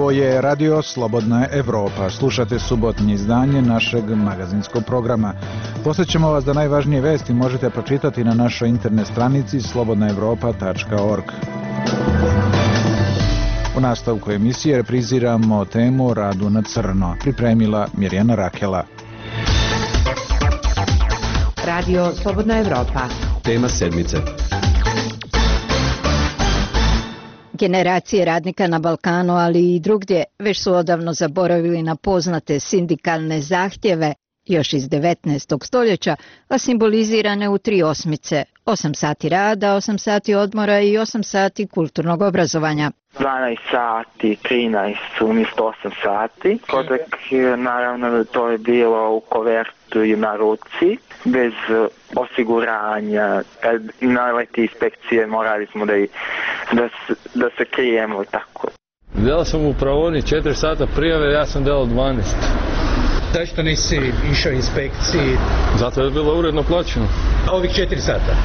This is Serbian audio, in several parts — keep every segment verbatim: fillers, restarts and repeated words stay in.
Ovo je Radio Slobodna Evropa. Slušate subotnje izdanje našeg magazinskog programa. Posjećamo vas da najvažnije vesti možete pročitati na našoj internet stranici slobodna evropa tačka org. U nastavku emisije repriziramo temu Radu na crno. Pripremila Mirjana Rakela. Radio Slobodna Evropa. Tema sedmice. Generacije radnika na Balkanu, ali i drugdje, već su odavno zaboravili na poznate sindikalne zahtjeve još iz devetnaestog stoljeća, a simbolizirane u tri osmice: osam sati rada, osam sati odmora i osam sati kulturnog obrazovanja. dvanaest sati, trinaest umjesto osam sati. Kodak, naravno, to je bilo u kovertu i na ruci, bez osiguranja. Kad naleti inspekcije, morali smo da, da, da se krijemo tako. Delao sam u pravoni četiri sata prijave, ja sam delao dvanaest. Zašto nisi išao inspekciji? Zato je bilo uredno plaćeno. Ovih četiri sata?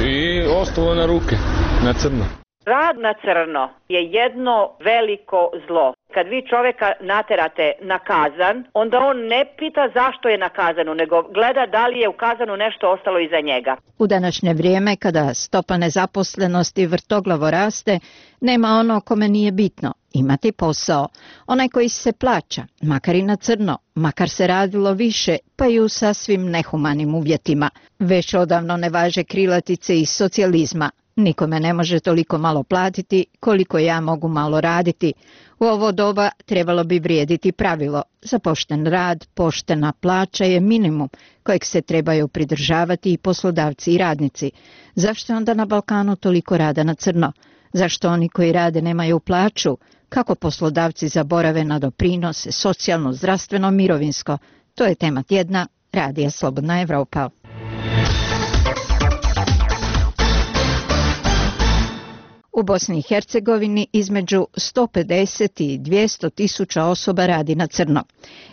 I ostalo na ruke, na crno. Rad na crno je jedno veliko zlo. Kad vi čovjeka naterate na kazan, onda on ne pita zašto je na kazanu, nego gleda da li je u kazanu nešto ostalo iza njega. U današnje vrijeme, kada stopa nezaposlenosti vrtoglavo raste, nema ono kome nije bitno imati posao. Onaj koji se plaća, makar i na crno, makar se radilo više, pa i u sasvim nehumanim uvjetima. Već odavno ne važe krilatice iz socijalizma. Nikome ne može toliko malo platiti koliko ja mogu malo raditi. U ovo doba trebalo bi vrijediti pravilo: za pošten rad, poštena plaća je minimum kojeg se trebaju pridržavati i poslodavci i radnici. Zašto onda na Balkanu toliko rada na crno? Zašto oni koji rade nemaju plaću? Kako poslodavci zaborave na doprinose, socijalno, zdravstveno, mirovinsko? To je tema tjedna Radija Slobodna Evropa. U Bosni i Hercegovini između sto pedeset i dvjesto tisuća osoba radi na crno.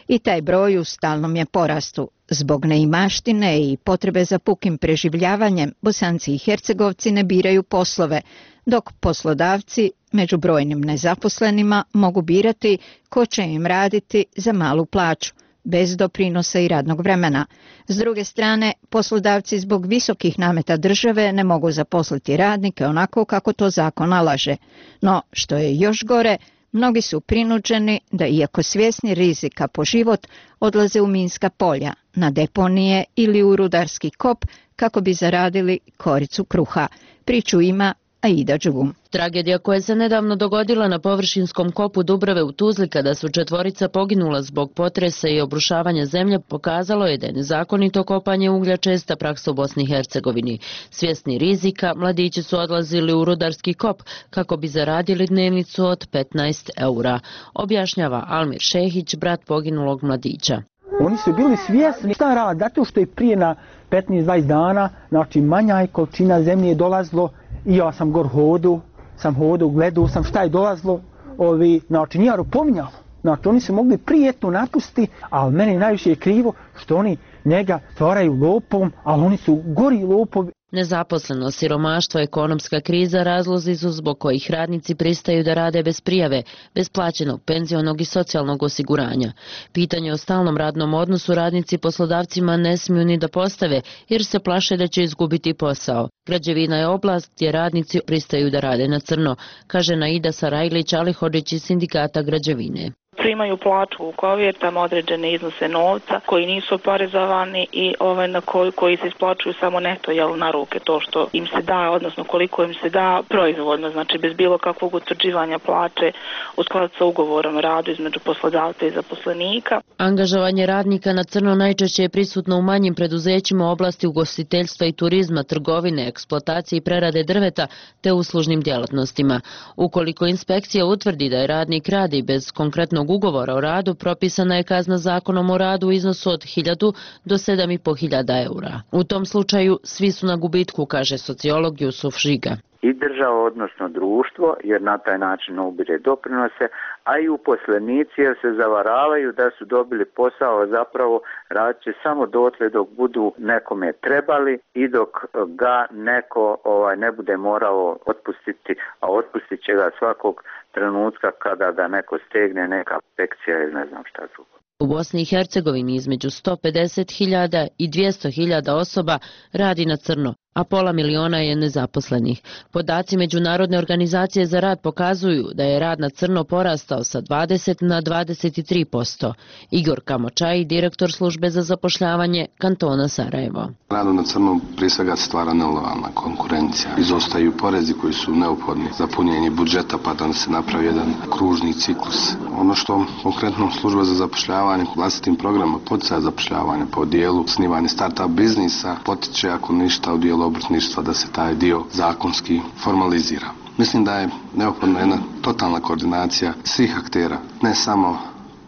I taj broj u stalnom je porastu. Zbog neimaštine i potrebe za pukim preživljavanjem, Bosanci i Hercegovci ne biraju poslove, dok poslodavci među brojnim nezaposlenima mogu birati ko će im raditi za malu plaću, bez doprinosa i radnog vremena. S druge strane, poslodavci zbog visokih nameta države ne mogu zaposliti radnike onako kako to zakon nalaže. No, što je još gore, mnogi su prinuđeni da, iako svjesni rizika po život, odlaze u minska polja, na deponije ili u rudarski kop kako bi zaradili koricu kruha. Priču ima Aida Đugum. Tragedija koja se nedavno dogodila na površinskom kopu Dubrave u Tuzli, kada su četvorica poginula zbog potresa i obrušavanja zemlje, pokazalo je da je nezakonito kopanje uglja česta praksa u Bosni i Hercegovini. Svjesni rizika, mladići su odlazili u rudarski kop kako bi zaradili dnevnicu od petnaest eura, objašnjava Almir Šehić, brat poginulog mladića. Oni su bili svjesni šta rad, zato što je prije na petnaest dvadeset dana, znači manja je količina zemlje dolazilo. I ja sam gor hodu, sam hodu, gledao sam šta je dolazilo, ovi, znači nije pominjalo. Znači oni su mogli prijetno napustiti, ali meni najviše je krivo što oni njega stvaraju lopom, ali oni su gori lopovi. Nezaposlenost, siromaštvo, ekonomska kriza razlozi su zbog kojih radnici pristaju da rade bez prijave, bez plaćenog penzionog i socijalnog osiguranja. Pitanje o stalnom radnom odnosu radnici poslodavcima ne smiju ni da postave, jer se plaše da će izgubiti posao. Građevina je oblast gdje radnici pristaju da rade na crno, kaže Naida Sarajlić Alihodžić iz sindikata građevine. Primaju plaću u kovjertama, određene iznose novca koji nisu oporezovani i ovaj, na koji, koji se isplaćuju samo neto jel, na ruke, to što im se da, odnosno koliko im se da proizvodno, znači bez bilo kakvog utvrđivanja plaće u skladu sa ugovorom o radu između poslodavca i zaposlenika. Angažovanje radnika na crno najčešće je prisutno u manjim preduzećima u oblasti ugostiteljstva i turizma, trgovine, eksploatacije i prerade drveta te uslužnim djelatnostima. Ukoliko inspekcija utvrdi da je radnik radi bez konkretnog ugovora o radu, propisana je kazna zakonom o radu u iznosu od hiljadu do sedam i po hiljada eura. U tom slučaju svi su na gubitku, kaže sociolog Jusuf Žiga. i država, odnosno društvo, jer na taj način ubire doprinose, a i uposlenici jer se zavaravaju da su dobili posao, zapravo radit će samo dotle dok budu nekome trebali i dok ga neko ovaj, ne bude morao otpustiti, a otpustit će ga svakog trenutka kada ga neko stegne, neka inspekcija ili ne znam šta drugo. U Bosni i Hercegovini između sto pedeset hiljada i dvjesto hiljada osoba radi na crno, a pola miliona je nezaposlenih. Podaci Međunarodne organizacije za rad pokazuju da je rad na crno porastao sa dvadeset na dvadeset tri posto. Igor Kamočaj, direktor službe za zapošljavanje kantona Sarajevo. Radu na crno prije svega stvara nelojalna konkurencija. Izostaju porezi koji su neophodni za punjenje budžeta, pa da se napravi jedan kružni ciklus. Ono što konkretno služba za zapošljavanje vlastitim programima poticaja zapošljavanja po dijelu snimanja start-up biznisa potiče ako ništa u dijelu obrtništva da se taj dio zakonski formalizira. Mislim da je neophodna jedna totalna koordinacija svih aktera, ne samo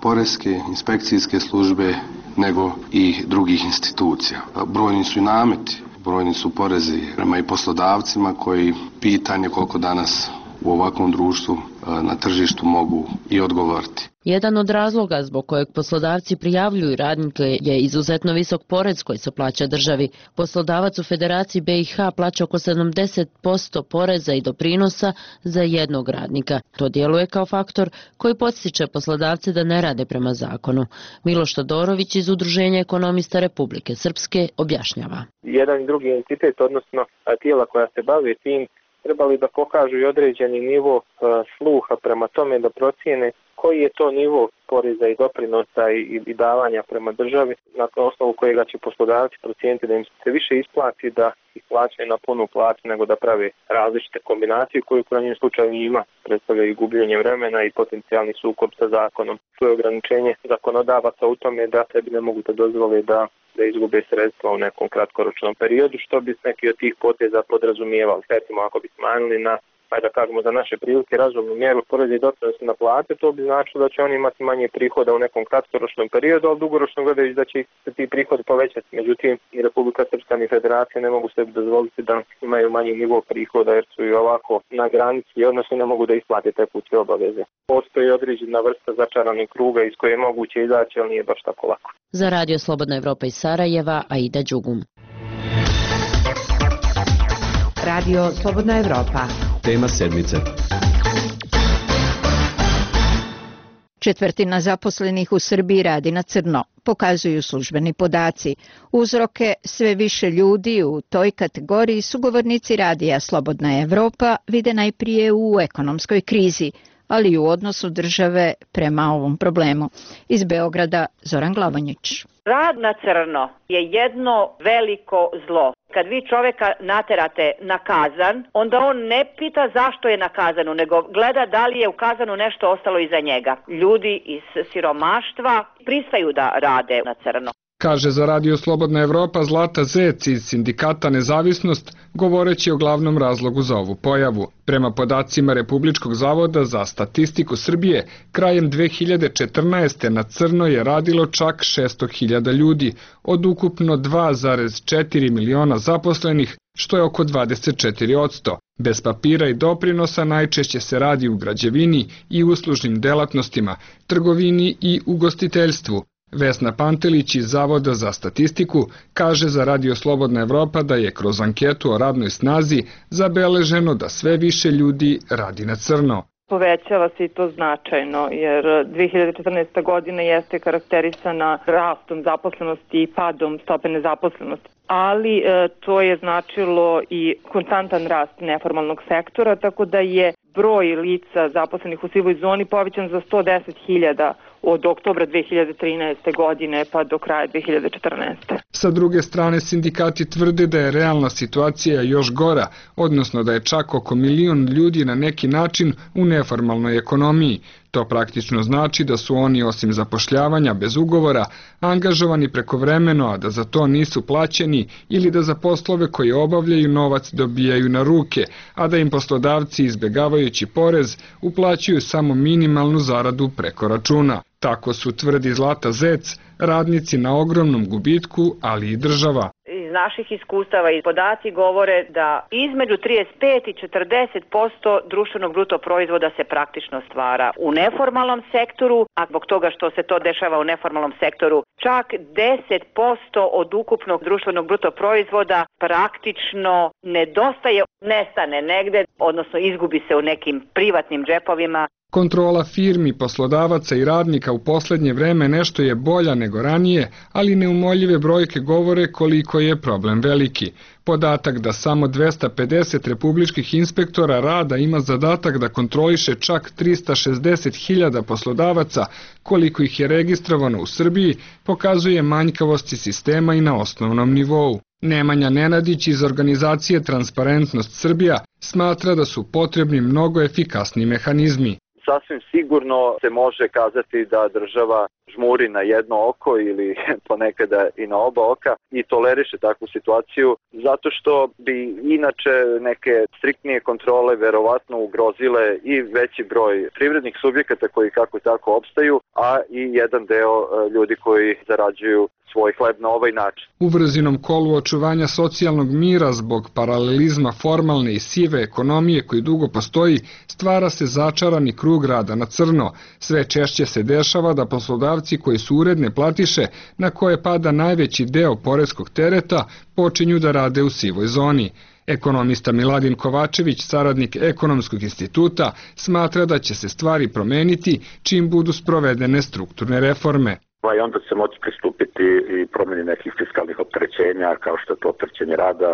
poreske, inspekcijske službe, nego i drugih institucija. Brojni su i nameti, brojni su porezi prema i poslodavcima koji pitanje koliko danas u ovakvom društvu na tržištu mogu i odgovoriti. Jedan od razloga zbog kojeg poslodavci prijavljuju radnike je izuzetno visok porez koji se plaća državi. Poslodavac u Federaciji B i H plaća oko sedamdeset posto poreza i doprinosa za jednog radnika. To djeluje kao faktor koji podsjeća poslodavce da ne rade prema zakonu. Miloš Todorović iz Udruženja ekonomista Republike Srpske objašnjava. Jedan i drugi entitet, odnosno tijela koja se bave tim, trebali da pokažu i određeni nivo uh, sluha prema tome da procijene koji je to nivo poreza i doprinosa i, i davanja prema državi na osnovu kojega će poslodavci procijeniti da im se više isplati da ih plaćaju na punu plaću nego da prave različite kombinacije koje u krajnjem slučaju ima predstavljaju i gubljenje vremena i potencijalni sukob sa zakonom. To je ograničenje zakonodavaca u tome da sebi ne mogu da dozvole da da izgube sredstva u nekom kratkoročnom periodu, što bi neki od tih poteza podrazumijevali. Recimo, ako bi smanjili na, ajde da kažemo za naše prilike, razumnu mjeru poreza i doprinosa na plate, to bi značilo da će oni imati manje prihoda u nekom kratkoročnom periodu, ali dugoročno gledajući da će se ti prihodi povećati. Međutim, ni Republika Srpska ni Federacija ne mogu sebi dozvoliti da imaju manji nivo prihoda jer su i ovako na granici, odnosno ne mogu da isplate tekuće obaveze. Postoji određena vrsta začaranih kruga iz koje je moguće izaći, ali nije baš tako lako. Za Radio Slobodna Evropa iz Sarajeva, Aida Đugum. Radio Slobodna Evropa. Tema sedmice. Četvrtina zaposlenih u Srbiji radi na crno, pokazuju službeni podaci. Uzroke sve više ljudi u toj kategoriji sugovornici radija Slobodna Evropa vide najprije u ekonomskoj krizi, ali i u odnosu države prema ovom problemu. Iz Beograda, Zoran Glavonjić. Rad na crno je jedno veliko zlo. Kad vi čoveka naterate na kazan, onda on ne pita zašto je na kazanu, nego gleda da li je u kazanu nešto ostalo iza njega. Ljudi iz siromaštva pristaju da rade na crno. Kaže za Radio Slobodna Evropa Zlata Zec iz sindikata Nezavisnost, govoreći o glavnom razlogu za ovu pojavu. Prema podacima Republičkog zavoda za statistiku Srbije, krajem dve hiljade četrnaeste. na crno je radilo čak šesto hiljada ljudi, od ukupno dva zarez četiri miliona zaposlenih, što je oko dvadeset četiri posto. Bez papira i doprinosa najčešće se radi u građevini i uslužnim delatnostima, trgovini i ugostiteljstvu. Vesna Pantelić iz Zavoda za statistiku kaže za Radio Slobodna Evropa da je kroz anketu o radnoj snazi zabeleženo da sve više ljudi radi na crno. Povećava se i to značajno, jer dve hiljade četrnaesta. godina jeste karakterisana rastom zaposlenosti i padom stope nezaposlenosti. Ali e, to je značilo i konstantan rast neformalnog sektora, tako da je broj lica zaposlenih u sivoj zoni povećan za sto deset hiljada od oktobra dve hiljade trinaeste. godine pa do kraja dve hiljade četrnaeste. Sa druge strane, sindikati tvrde da je realna situacija još gora, odnosno da je čak oko milion ljudi na neki način u neformalnoj ekonomiji. To praktično znači da su oni osim zapošljavanja bez ugovora angažovani prekovremeno, a da za to nisu plaćeni ili da za poslove koje obavljaju novac dobijaju na ruke, a da im poslodavci izbjegavajući porez uplaćuju samo minimalnu zaradu preko računa. Tako su, tvrdi Zlata Zec, radnici na ogromnom gubitku, ali i država. Iz naših iskustava i podaci govore da između trideset pet i četrdeset posto društvenog bruto proizvoda se praktično stvara u neformalnom sektoru, a zbog toga što se to dešava u neformalnom sektoru, čak deset posto od ukupnog društvenog bruto proizvoda praktično nedostaje, nestane negde, odnosno izgubi se u nekim privatnim džepovima. Kontrola firmi, poslodavaca i radnika u poslednje vreme nešto je bolja nego ranije, ali neumoljive brojke govore koliko je problem veliki. Podatak da samo dvesta pedeset republičkih inspektora rada ima zadatak da kontroliše čak trista šezdeset hiljada poslodavaca, koliko ih je registrovano u Srbiji, pokazuje manjkavosti sistema i na osnovnom nivou. Nemanja Nenadić iz organizacije Transparentnost Srbija smatra da su potrebni mnogo efikasni mehanizmi. Sasvim sigurno se može kazati da država žmuri na jedno oko ili ponekada i na oba oka i toleriše takvu situaciju zato što bi inače neke striktnije kontrole verovatno ugrozile i veći broj privrednih subjekata koji kako tako opstaju, a i jedan deo ljudi koji zarađuju svoj hleb na ovaj način. U vrzinom kolu očuvanja socijalnog mira zbog paralelizma formalne i sive ekonomije koji dugo postoji, stvara se začarani krug rada na crno. Sve češće se dešava da poslodavci koji su uredne platiše, na koje pada najveći deo poreskog tereta, počinju da rade u sivoj zoni. Ekonomista Miladin Kovačević, saradnik Ekonomskog instituta, smatra da će se stvari promeniti čim budu sprovedene strukturne reforme. I onda se moći pristupiti i promjeni nekih fiskalnih opterećenja, kao što je to opterećenje rada,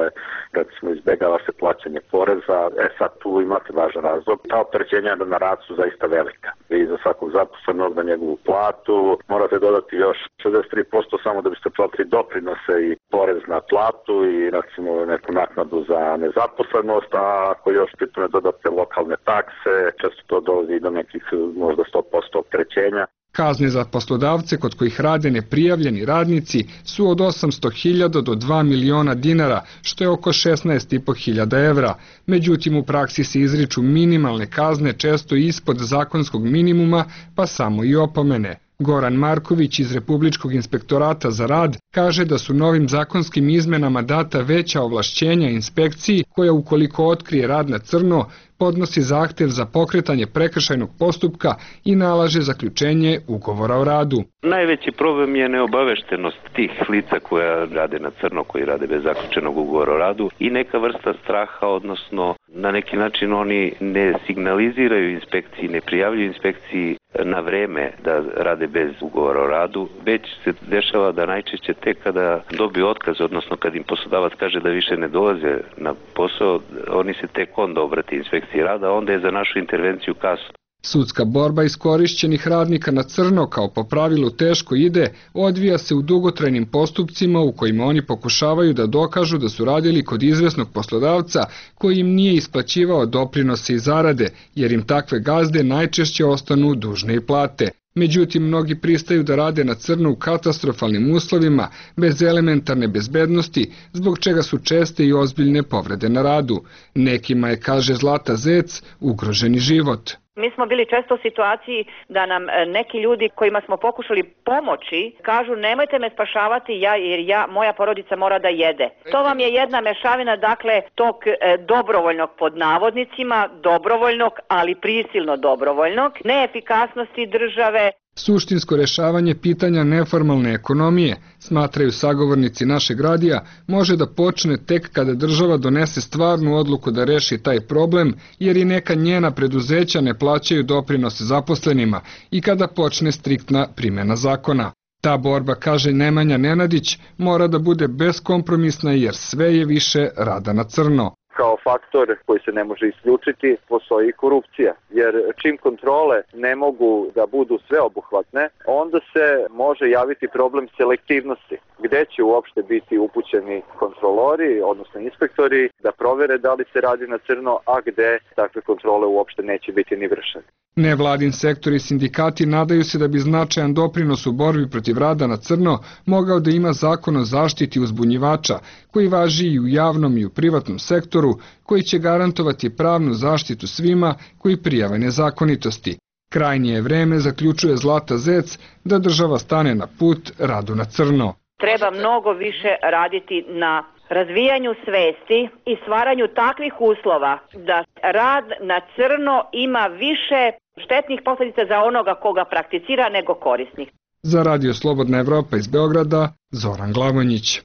recimo izbegava se plaćanje poreza. E sad tu imate važan razlog. Ta opterećenja na rad su zaista velika. Vi za svakog zaposlenog na njegovu platu morate dodati još šezdeset tri posto samo da biste platili doprinose i porez na platu i recimo neku naknadu za nezaposlenost, a ako još pitome dodate lokalne takse, često to dolazi do nekih možda sto posto opterećenja. Kazne za poslodavce kod kojih rade neprijavljeni radnici su od osamsto hiljada do dva miliona dinara, što je oko šesnaest i po hiljada evra. Međutim, u praksi se izriču minimalne kazne često ispod zakonskog minimuma, pa samo i opomene. Goran Marković iz Republičkog inspektorata za rad kaže da su novim zakonskim izmenama data veća ovlašćenja inspekciji koja ukoliko otkrije rad na crno podnosi zahtev za pokretanje prekršajnog postupka i nalaže zaključenje ugovora o radu. Najveći problem je neobaveštenost tih lica koja rade na crno, koji rade bez zaključenog ugovora o radu i neka vrsta straha, odnosno na neki način oni ne signaliziraju inspekciji, ne prijavljuju inspekciji na vreme da rade bez ugovora o radu, već se dešava da najčešće tek kada dobiju otkaz, odnosno kad im poslodavac kaže da više ne dolaze na posao, oni se tek onda obrate inspekciji rada, onda je za našu intervenciju kasno. Sudska borba iskorišćenih radnika na crno kao po pravilu teško ide, odvija se u dugotrajnim postupcima u kojima oni pokušavaju da dokažu da su radili kod izvesnog poslodavca koji im nije isplaćivao doprinose i zarade, jer im takve gazde najčešće ostanu dužne i plate. Međutim, mnogi pristaju da rade na crno u katastrofalnim uslovima, bez elementarne bezbednosti, zbog čega su česte i ozbiljne povrede na radu. Nekima je, kaže Zlata Zec, ugroženi život. Mi smo bili često u situaciji da nam neki ljudi kojima smo pokušali pomoći kažu nemojte me spašavati ja jer ja, moja porodica mora da jede. To vam je jedna mešavina dakle tog e, dobrovoljnog pod navodnicima, dobrovoljnog ali prisilno dobrovoljnog, neefikasnosti države. Suštinsko rešavanje pitanja neformalne ekonomije, smatraju sagovornici našeg radija, može da počne tek kada država donese stvarnu odluku da reši taj problem, jer i neka njena preduzeća ne plaćaju doprinose zaposlenima i kada počne striktna primjena zakona. Ta borba, kaže Nemanja Nenadić, mora da bude beskompromisna jer sve je više rada na crno. Kao faktor koji se ne može isključiti postoji i korupcija, jer čim kontrole ne mogu da budu sveobuhvatne, onda se može javiti problem selektivnosti, gde će uopšte biti upućeni kontrolori, odnosno inspektori, da provere da li se radi na crno, a gde takve kontrole uopšte neće biti ni vršene. Nevladin sektor i sindikati nadaju se da bi značajan doprinos u borbi protiv rada na crno mogao da ima zakon o zaštiti uzbunjivača, koji važi i u javnom i u privatnom sektoru, koji će garantovati pravnu zaštitu svima koji prijave nezakonitosti. Krajnje je vreme, zaključuje Zlata Zec, da država stane na put radu na crno. Treba mnogo više raditi na razvijanju svesti i stvaranju takvih uslova da rad na crno ima više štetnih posljedica za onoga koga prakticira nego korisnih. Za Radio Slobodna Evropa iz Beograda, Zoran Glavonjić.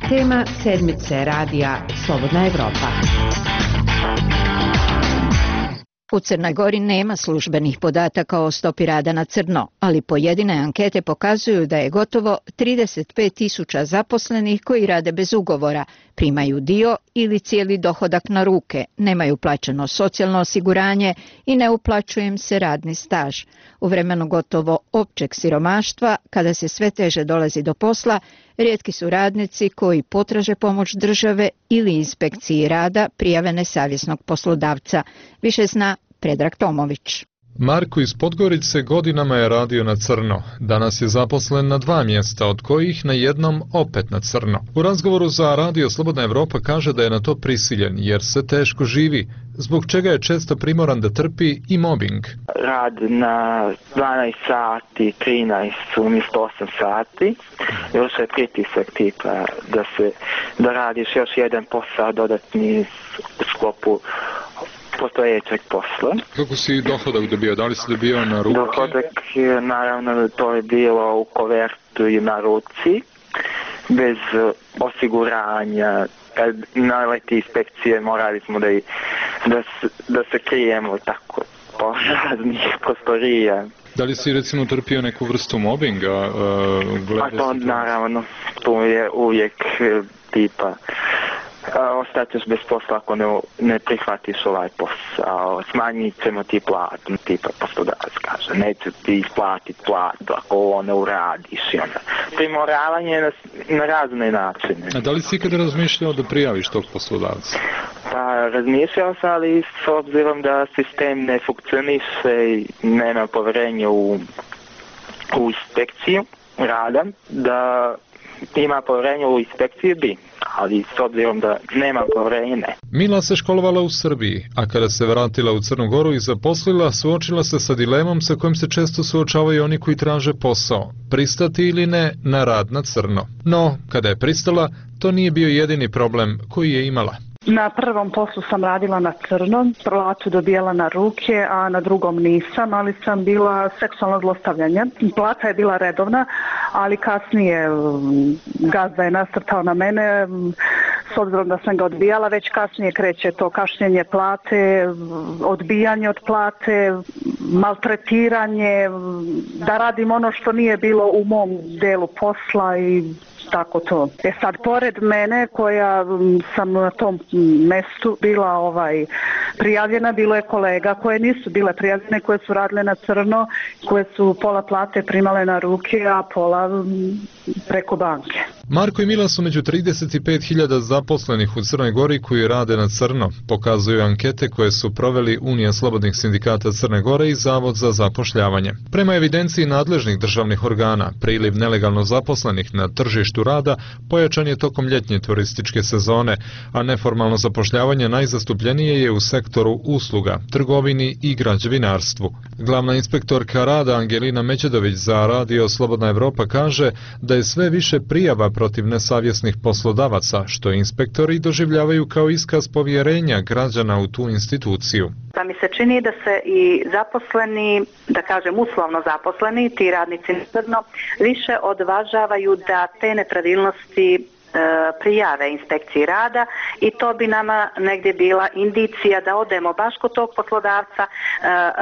Tema sedmice radija Slobodna Evropa. U Crnoj Gori nema službenih podataka o stopi rada na crno, ali pojedine ankete pokazuju da je gotovo trideset pet tisuća zaposlenih koji rade bez ugovora, primaju dio ili cijeli dohodak na ruke, nemaju plaćeno socijalno osiguranje i ne uplaćuje im se radni staž. U vremenu gotovo općeg siromaštva, kada se sve teže dolazi do posla, rijetki su radnici koji potraže pomoć države ili inspekciji rada prijave nesavjesnog poslodavca. Više zna Predrag Tomović. Marko iz Podgorice godinama je radio na crno. Danas je zaposlen na dva mjesta, od kojih na jednom opet na crno. U razgovoru za Radio Slobodna Evropa kaže da je na to prisiljen, jer se teško živi, zbog čega je često primoran da trpi i mobbing. Rad na dvanaest sati, trinaest umjesto osam sati, još je pritisak tipa da, se, da radiš još jedan posao dodatni u sklopu postojećeg posla. Kako si dohodak dobio? Da li si dobio na ruke? Dohodak, naravno, to je bilo u kovertu i na ruci, bez osiguranja. Kad naleti inspekcije, morali smo da, da, da se krijemo tako po raznih prostorija. Da li si recimo trpio neku vrstu mobbinga? Uh, A to naravno, to je uvijek tipa ostaćeš bez posla ako ne, ne prihvatiš ovaj posao, smanjit ćemo ti platu, tipa poslodavac kaže, neću ti isplatiti platu ako ovo ne uradiš. I onda primoravanje na, na razne načine. A da li si ikada razmišljao da prijaviš tog poslodavca? Pa razmišljao sam, ali s obzirom da sistem ne funkcioniše i nema povjerenja u, u inspekciju rada, da ima povjerenje u inspekciju bi, ali s obzirom da nema povjerenje ne. Mila se školovala u Srbiji, a kada se vratila u Crnu Goru i zaposlila, suočila se sa dilemom sa kojim se često suočavaju oni koji traže posao, pristati ili ne na rad na crno. No, kada je pristala, to nije bio jedini problem koji je imala. Na prvom poslu sam radila na crno, platu dobijala na ruke, a na drugom nisam, ali sam bila seksualno zlostavljanje. Plata je bila redovna, ali kasnije gazda je nasrtao na mene, s obzirom da sam ga odbijala, već kasnije kreće to kašnjenje plate, odbijanje od plate, maltretiranje, da radim ono što nije bilo u mom delu posla i tako to. E sad, pored mene koja sam na tom mestu bila ovaj prijavljena, bilo je kolega koje nisu bile prijavljene, koje su radile na crno, koje su pola plate primale na ruke, a pola preko banke. Marko i Mila su među trideset pet hiljada zaposlenih u Crnoj Gori koji rade na crno, pokazuju ankete koje su proveli Unija slobodnih sindikata Crne Gore i Zavod za zapošljavanje. Prema evidenciji nadležnih državnih organa, priliv nelegalno zaposlenih na tržištu rada pojačan je tokom ljetnje turističke sezone, a neformalno zapošljavanje najzastupljenije je u sektoru usluga, trgovini i građevinarstvu. Glavna inspektorka rada Angelina Međedović za Radio Slobodna Evropa kaže da je sve više prijava protiv nesavjesnih poslodavaca, što inspektori doživljavaju kao iskaz povjerenja građana u tu instituciju. Pa mi se čini da se i zaposleni, da kažem uslovno zaposleni, ti radnici na crno, više odvažavaju da te nepravilnosti prijave inspekciji rada i to bi nama negdje bila indicija da odemo baš kod tog poslodavca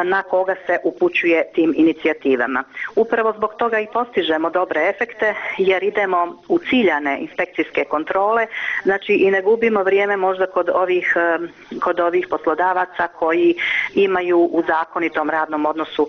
na koga se upućuje tim inicijativama. Upravo zbog toga i postižemo dobre efekte jer idemo u ciljane inspekcijske kontrole, znači i ne gubimo vrijeme možda kod ovih, kod ovih poslodavaca koji imaju u zakonitom radnom odnosu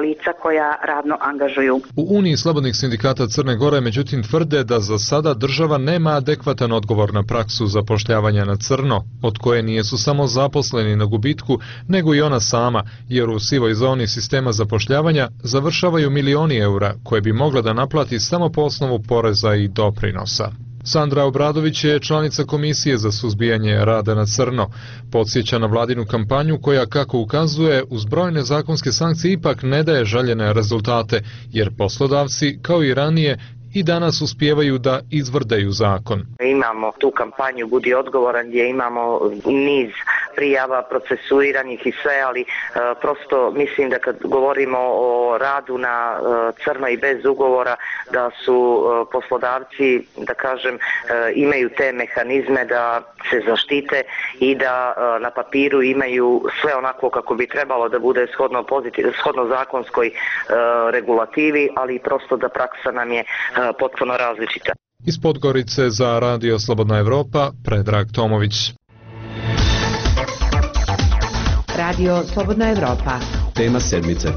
lica koja radno angažuju. U Uniji slobodnih sindikata Crne Gore međutim tvrde da za sada država nema adekvatan odgovor na praksu zapošljavanja na crno, od koje nijesu samo zaposleni na gubitku, nego i ona sama, jer u sivoj zoni sistema zapošljavanja završavaju milioni eura koje bi mogla da naplati samo po osnovu poreza i doprinosa. Sandra Obradović je članica Komisije za suzbijanje rada na crno. Podsjeća na vladinu kampanju koja, kako ukazuje, uz brojne zakonske sankcije ipak ne daje željene rezultate, jer poslodavci, kao i ranije, i danas uspijevaju da izvrdaju zakon. Imamo tu kampanju Budi odgovoran gdje imamo niz prijava procesuiranih i sve, ali e, prosto mislim da kad govorimo o radu na e, crno i bez ugovora, da su e, poslodavci, da kažem, e, imaju te mehanizme da se zaštite i da e, na papiru imaju sve onako kako bi trebalo da bude shodno, pozitiv, shodno zakonskoj e, regulativi, ali prosto da praksa nam je e, potpuno različita. Iz Podgorice za Radio Slobodna Evropa, Predrag Tomović. Radio Slobodna Evropa. Tema sedmice.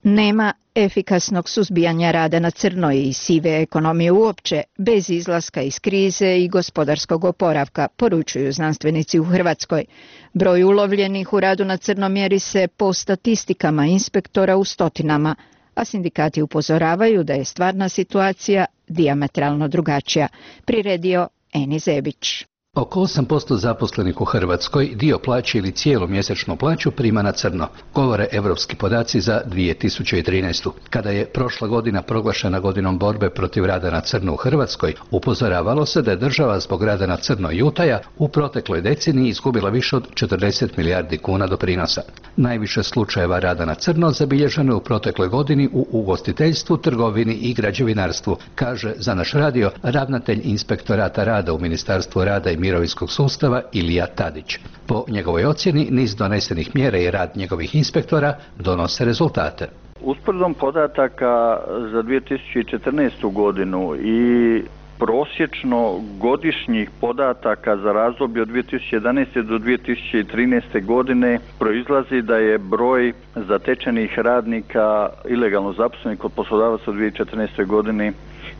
Nema efikasnog suzbijanja rada na crno i sive ekonomije uopće bez izlaska iz krize i gospodarskog oporavka, poručuju znanstvenici u Hrvatskoj. Broj ulovljenih u radu na crno mjeri se po statistikama inspektora u stotinama, a sindikati upozoravaju da je stvarna situacija dijametralno drugačija. Priredio Eni Zebić. Oko osam posto zaposlenih u Hrvatskoj dio plaće ili cijelu mjesečnu plaću prima na crno, govore europski podaci za dvije tisuće trinaestu. Kada je prošla godina proglašena godinom borbe protiv rada na crno u Hrvatskoj, upozoravalo se da je država zbog rada na crno i utaja u protekloj deceniji izgubila više od četrdeset milijardi kuna doprinosa. Najviše slučajeva rada na crno zabilježeno je u protekloj godini u ugostiteljstvu, trgovini i građevinarstvu, kaže za naš radio ravnatelj inspektorata rada u Ministarstvu rada i mirovinskog sustava Ilija Tadić. Po njegovoj ocjeni, niz donesenih mjera i rad njegovih inspektora donose rezultate. Usporedbom podataka za dvije tisuće četrnaestu godinu i prosječno godišnjih podataka za razdoblje od dvije tisuće jedanaeste do dvije tisuće trinaeste godine proizlazi da je broj zatečenih radnika ilegalno zaposlenih kod poslodavaca u dvije tisuće četrnaestoj godini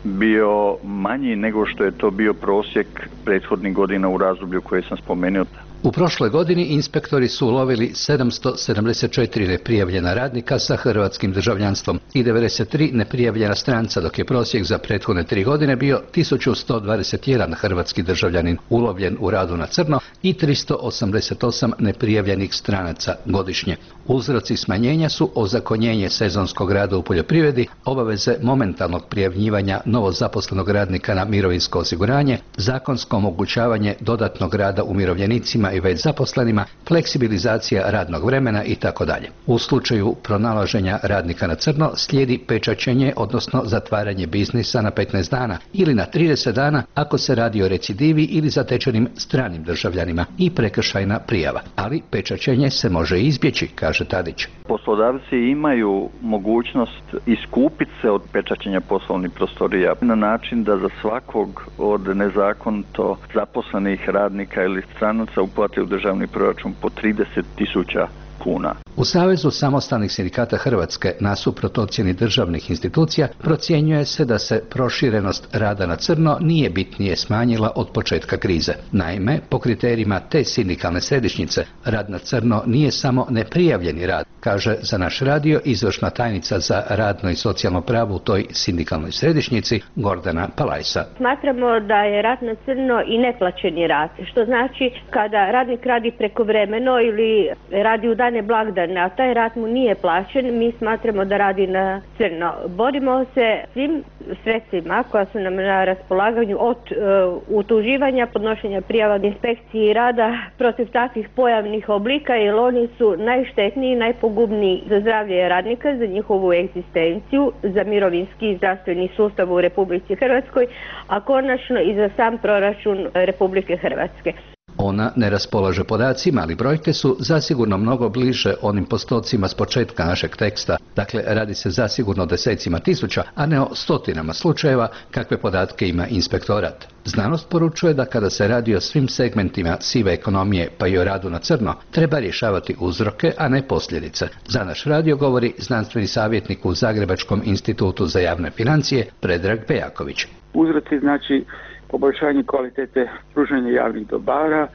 bio manji nego što je to bio prosjek prethodnih godina u razdoblju koje sam spomenuo. U prošloj godini inspektori su ulovili sedamsto sedamdeset četiri neprijavljena radnika sa hrvatskim državljanstvom i devedeset tri neprijavljena stranca, dok je prosjek za prethodne tri godine bio tisuću sto dvadeset jedan hrvatski državljanin ulovljen u radu na crno i tristo osamdeset osam neprijavljenih stranaca godišnje. Uzroci smanjenja su ozakonjenje sezonskog rada u poljoprivredi, obaveze momentalnog prijavljivanja novozaposlenog radnika na mirovinsko osiguranje, zakonsko omogućavanje dodatnog rada umirovljenicima i već zaposlenima, fleksibilizacija radnog vremena i tako dalje. U slučaju pronalaženja radnika na crno slijedi pečaćenje, odnosno zatvaranje biznisa na petnaest dana ili na trideset dana ako se radi o recidivi ili zatečenim stranim državljanima i prekršajna prijava. Ali pečaćenje se može izbjeći, kaže Tadić. Poslodavci imaju mogućnost iskupiti se od pečaćenja poslovnih prostorija na način da za svakog od nezakonito zaposlenih radnika ili stranaca uplate u državni proračun po trideset tisuća kuna. U Savezu samostalnih sindikata Hrvatske, nasuprot ocjeni državnih institucija, procjenjuje se da se proširenost rada na crno nije bitnije smanjila od početka krize. Naime, po kriterijima te sindikalne središnjice, rad na crno nije samo neprijavljeni rad, kaže za naš radio izvršna tajnica za radno i socijalno pravo u toj sindikalnoj središnjici Gordana Palajsa. Smatramo da je rad na crno i neplaćeni rad, što znači kada radnik radi prekovremeno ili radi u dane blagdane, a taj rad mu nije plaćen, mi smatramo da radi na crno. Borimo se svim sredstvima koja su nam na raspolaganju od uh, utuživanja, podnošenja prijava inspekciji rada protiv takvih pojavnih oblika, jer oni su najštetniji, najpogubniji za zdravlje radnika, za njihovu egzistenciju, za mirovinski i zdravstveni sustav u Republici Hrvatskoj, a konačno i za sam proračun Republike Hrvatske. Ona ne raspolaže podacima, ali brojke su zasigurno mnogo bliže onim postocima s početka našeg teksta. Dakle, radi se zasigurno o desecima tisuća, a ne o stotinama slučajeva kakve podatke ima inspektorat. Znanost poručuje da kada se radi o svim segmentima sive ekonomije, pa i o radu na crno, treba rješavati uzroke, a ne posljedice. Za naš radio govori znanstveni savjetnik u Zagrebačkom institutu za javne financije Predrag Pejaković. Uzroci znači poboljšanje kvalitete pružanja javnih dobara,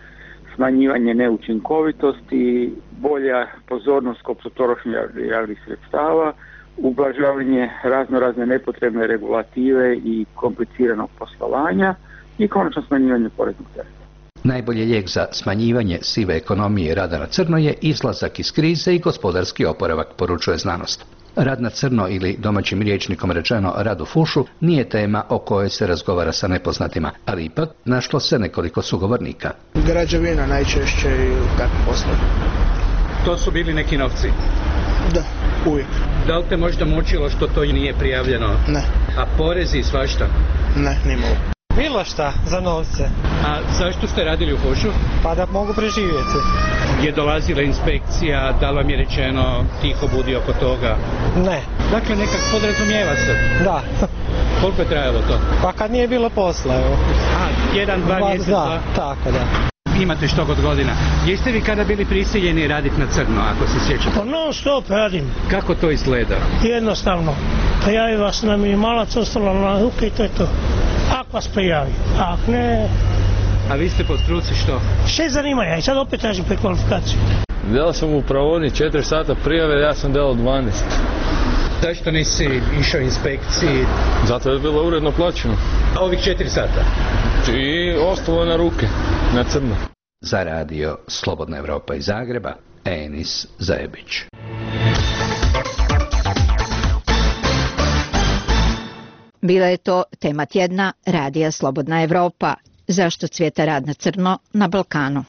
smanjivanje neučinkovitosti, bolja pozornost kod potrošnje javnih sredstava, ublažavanje razno razne nepotrebne regulative i kompliciranog poslovanja i konačno smanjivanje poreznog tereta. Najbolji lijek za smanjivanje sive ekonomije i rada na crno je izlazak iz krize i gospodarski oporavak, poručuje znanost. Rad na crno ili domaćim rječnikom rečeno rad u fušu nije tema o kojoj se razgovara sa nepoznatima, ali ipak našlo se nekoliko sugovornika. Građevina najčešće i takve poslove. To su bili neki novci? Da, uvijek. Da li te možda mučilo što to nije prijavljeno? Ne. A porezi i svašta? Ne, nimalo. Bilo šta, za novce. A zašto ste radili u fušu? Pa da mogu preživjeti. Je dolazila inspekcija, da vam je rečeno tiho budi oko toga? Ne. Dakle, nekak podrazumijeva se? Da. Koliko je trajalo to? Pa kad nije bilo posla, evo. A, jedan, dva ba, mjeseca? Da, tako da. Imate što god godina. Jeste vi kada bili prisiljeni raditi na crno, ako se sjećate? Pa non stop radim. Kako to izgleda? Jednostavno. Prijavi vas na minimalac, ostalo na ruke i to je to. Ako vas prijavi, ako ne... A vi ste po struci što? Šest zanimanja i sad opet tražim prekvalifikaciju. Delao sam u pravodni četiri sata prijave, ja sam delao dvanaest. Zašto nisi išao inspekciji? Zato je bilo uredno plaćeno. A ovih četiri sata? I ostalo na ruke, na crno. Za radio Slobodna Evropa iz Zagreba, Enis Zajebić. Bila je to tema tjedna Radija Slobodna Evropa. Zašto cvijeta rad na crno na Balkanu?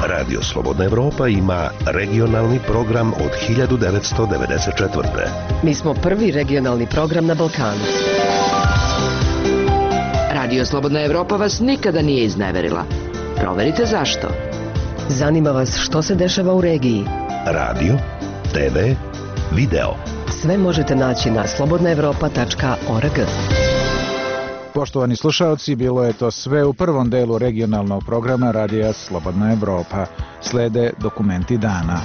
Radio Slobodna Evropa ima regionalni program od hiljadu devetsto devedeset četvrte. Mi smo prvi regionalni program na Balkanu. Radio Slobodna Evropa vas nikada nije izneverila. Proverite zašto. Zanima vas što se dešava u regiji. Radio, te ve, video. Sve možete naći na slobodna evropa tačka org. Poštovani slušalci, bilo je to sve u prvom delu regionalnog programa Radija Slobodna Evropa. Slede dokumenti dana.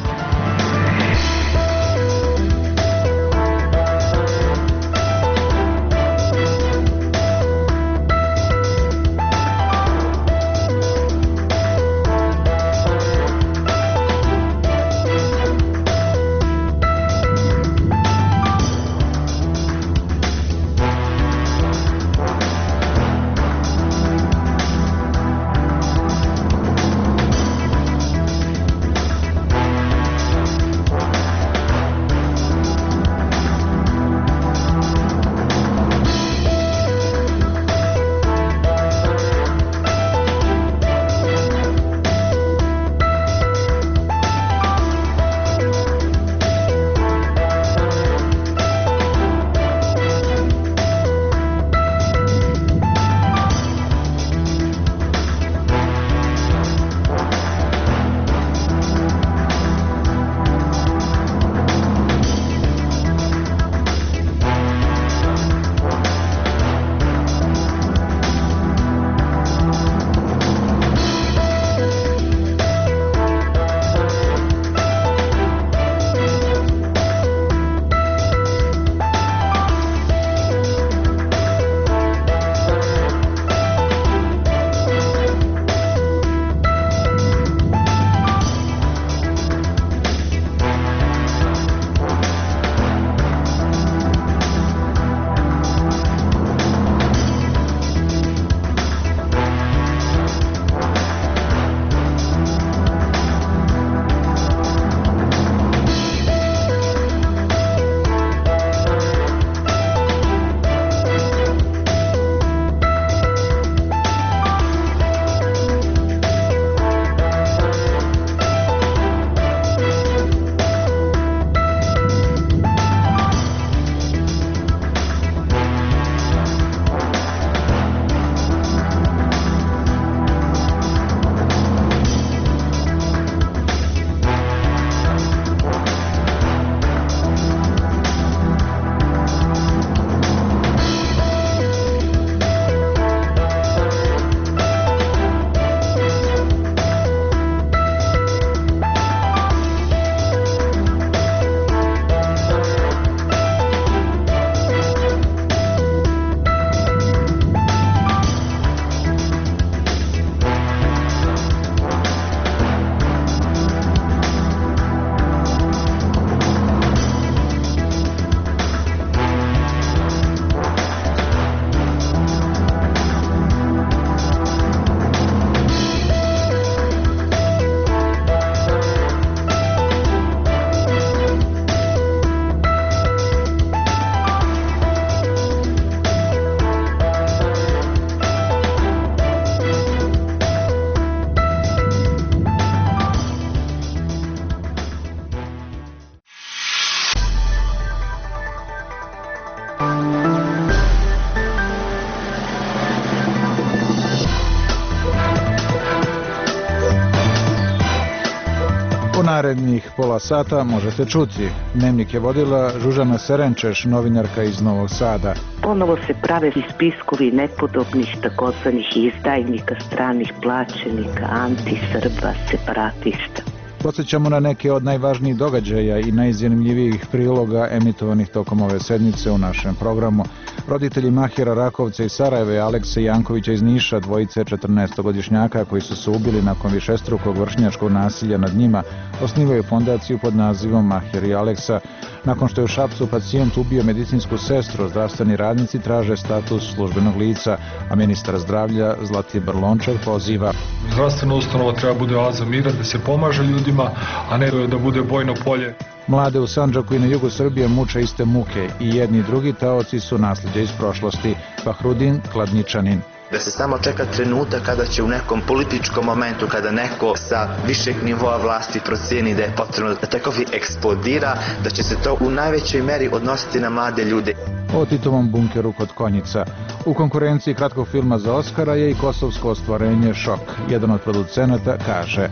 narednih pola sata možete čuti. Dnevnik je vodila Žužana Serenčeš, novinarka iz Novog Sada. Ponovo se prave spiskovi nepodobnih takozvanih izdajnika, stranih plaćenika, anti-Srba, separatista. Podsjećamo na neke od najvažnijih događaja i najzanimljivijih priloga emitovanih tokom ove sedmice u našem programu. Roditelji Mahira Rakovca iz Sarajeva i Alekse Jankovića iz Niša, dvojice četrnaestogodišnjaka koji su se ubili nakon višestrukog vršnjačkog nasilja nad njima, osnivaju fondaciju pod nazivom Mahir i Aleksa. Nakon što je u Šapcu pacijent ubio medicinsku sestru, zdravstveni radnici traže status službenog lica, a ministar zdravlja Zlatibor Lončar poziva. Zdravstvena ustanova treba bude oaza mira, da se pomaže ljudima, a ne da bude bojno polje. Mlade u Sandžaku i na jugu Srbije muče iste muke i jedni i drugi taoci su nasljeđe iz prošlosti. Fahrudin Kladničanin. Da se samo čeka trenutak kada će u nekom političkom momentu, kada neko sa višeg nivoa vlasti procijeni da je potrebno da takovi eksplodira, da će se to u najvećoj meri odnositi na mlade ljude. O Titovom bunkeru kod Konjica. U konkurenciji kratkog filma za Oskara je i kosovsko ostvarenje Šok. Jedan od producenata kaže: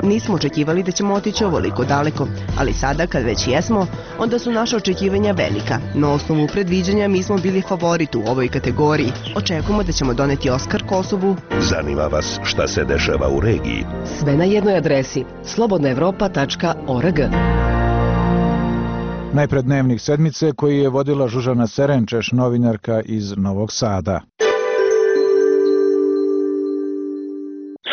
Nismo očekivali da ćemo otići ovoliko daleko, ali sada kad već jesmo, onda su naša očekivanja velika. Na osnovu predviđanja mi smo bili favorit u ovoj kategoriji. Očekujemo da ćemo doneti Oskar Kosovu. Zanima vas šta se dešava u regiji? Sve na jednoj adresi slobodna evropa tačka org. Najpred dnevnik sedmice koji je vodila Žužana Serenčeš, novinarka iz Novog Sada.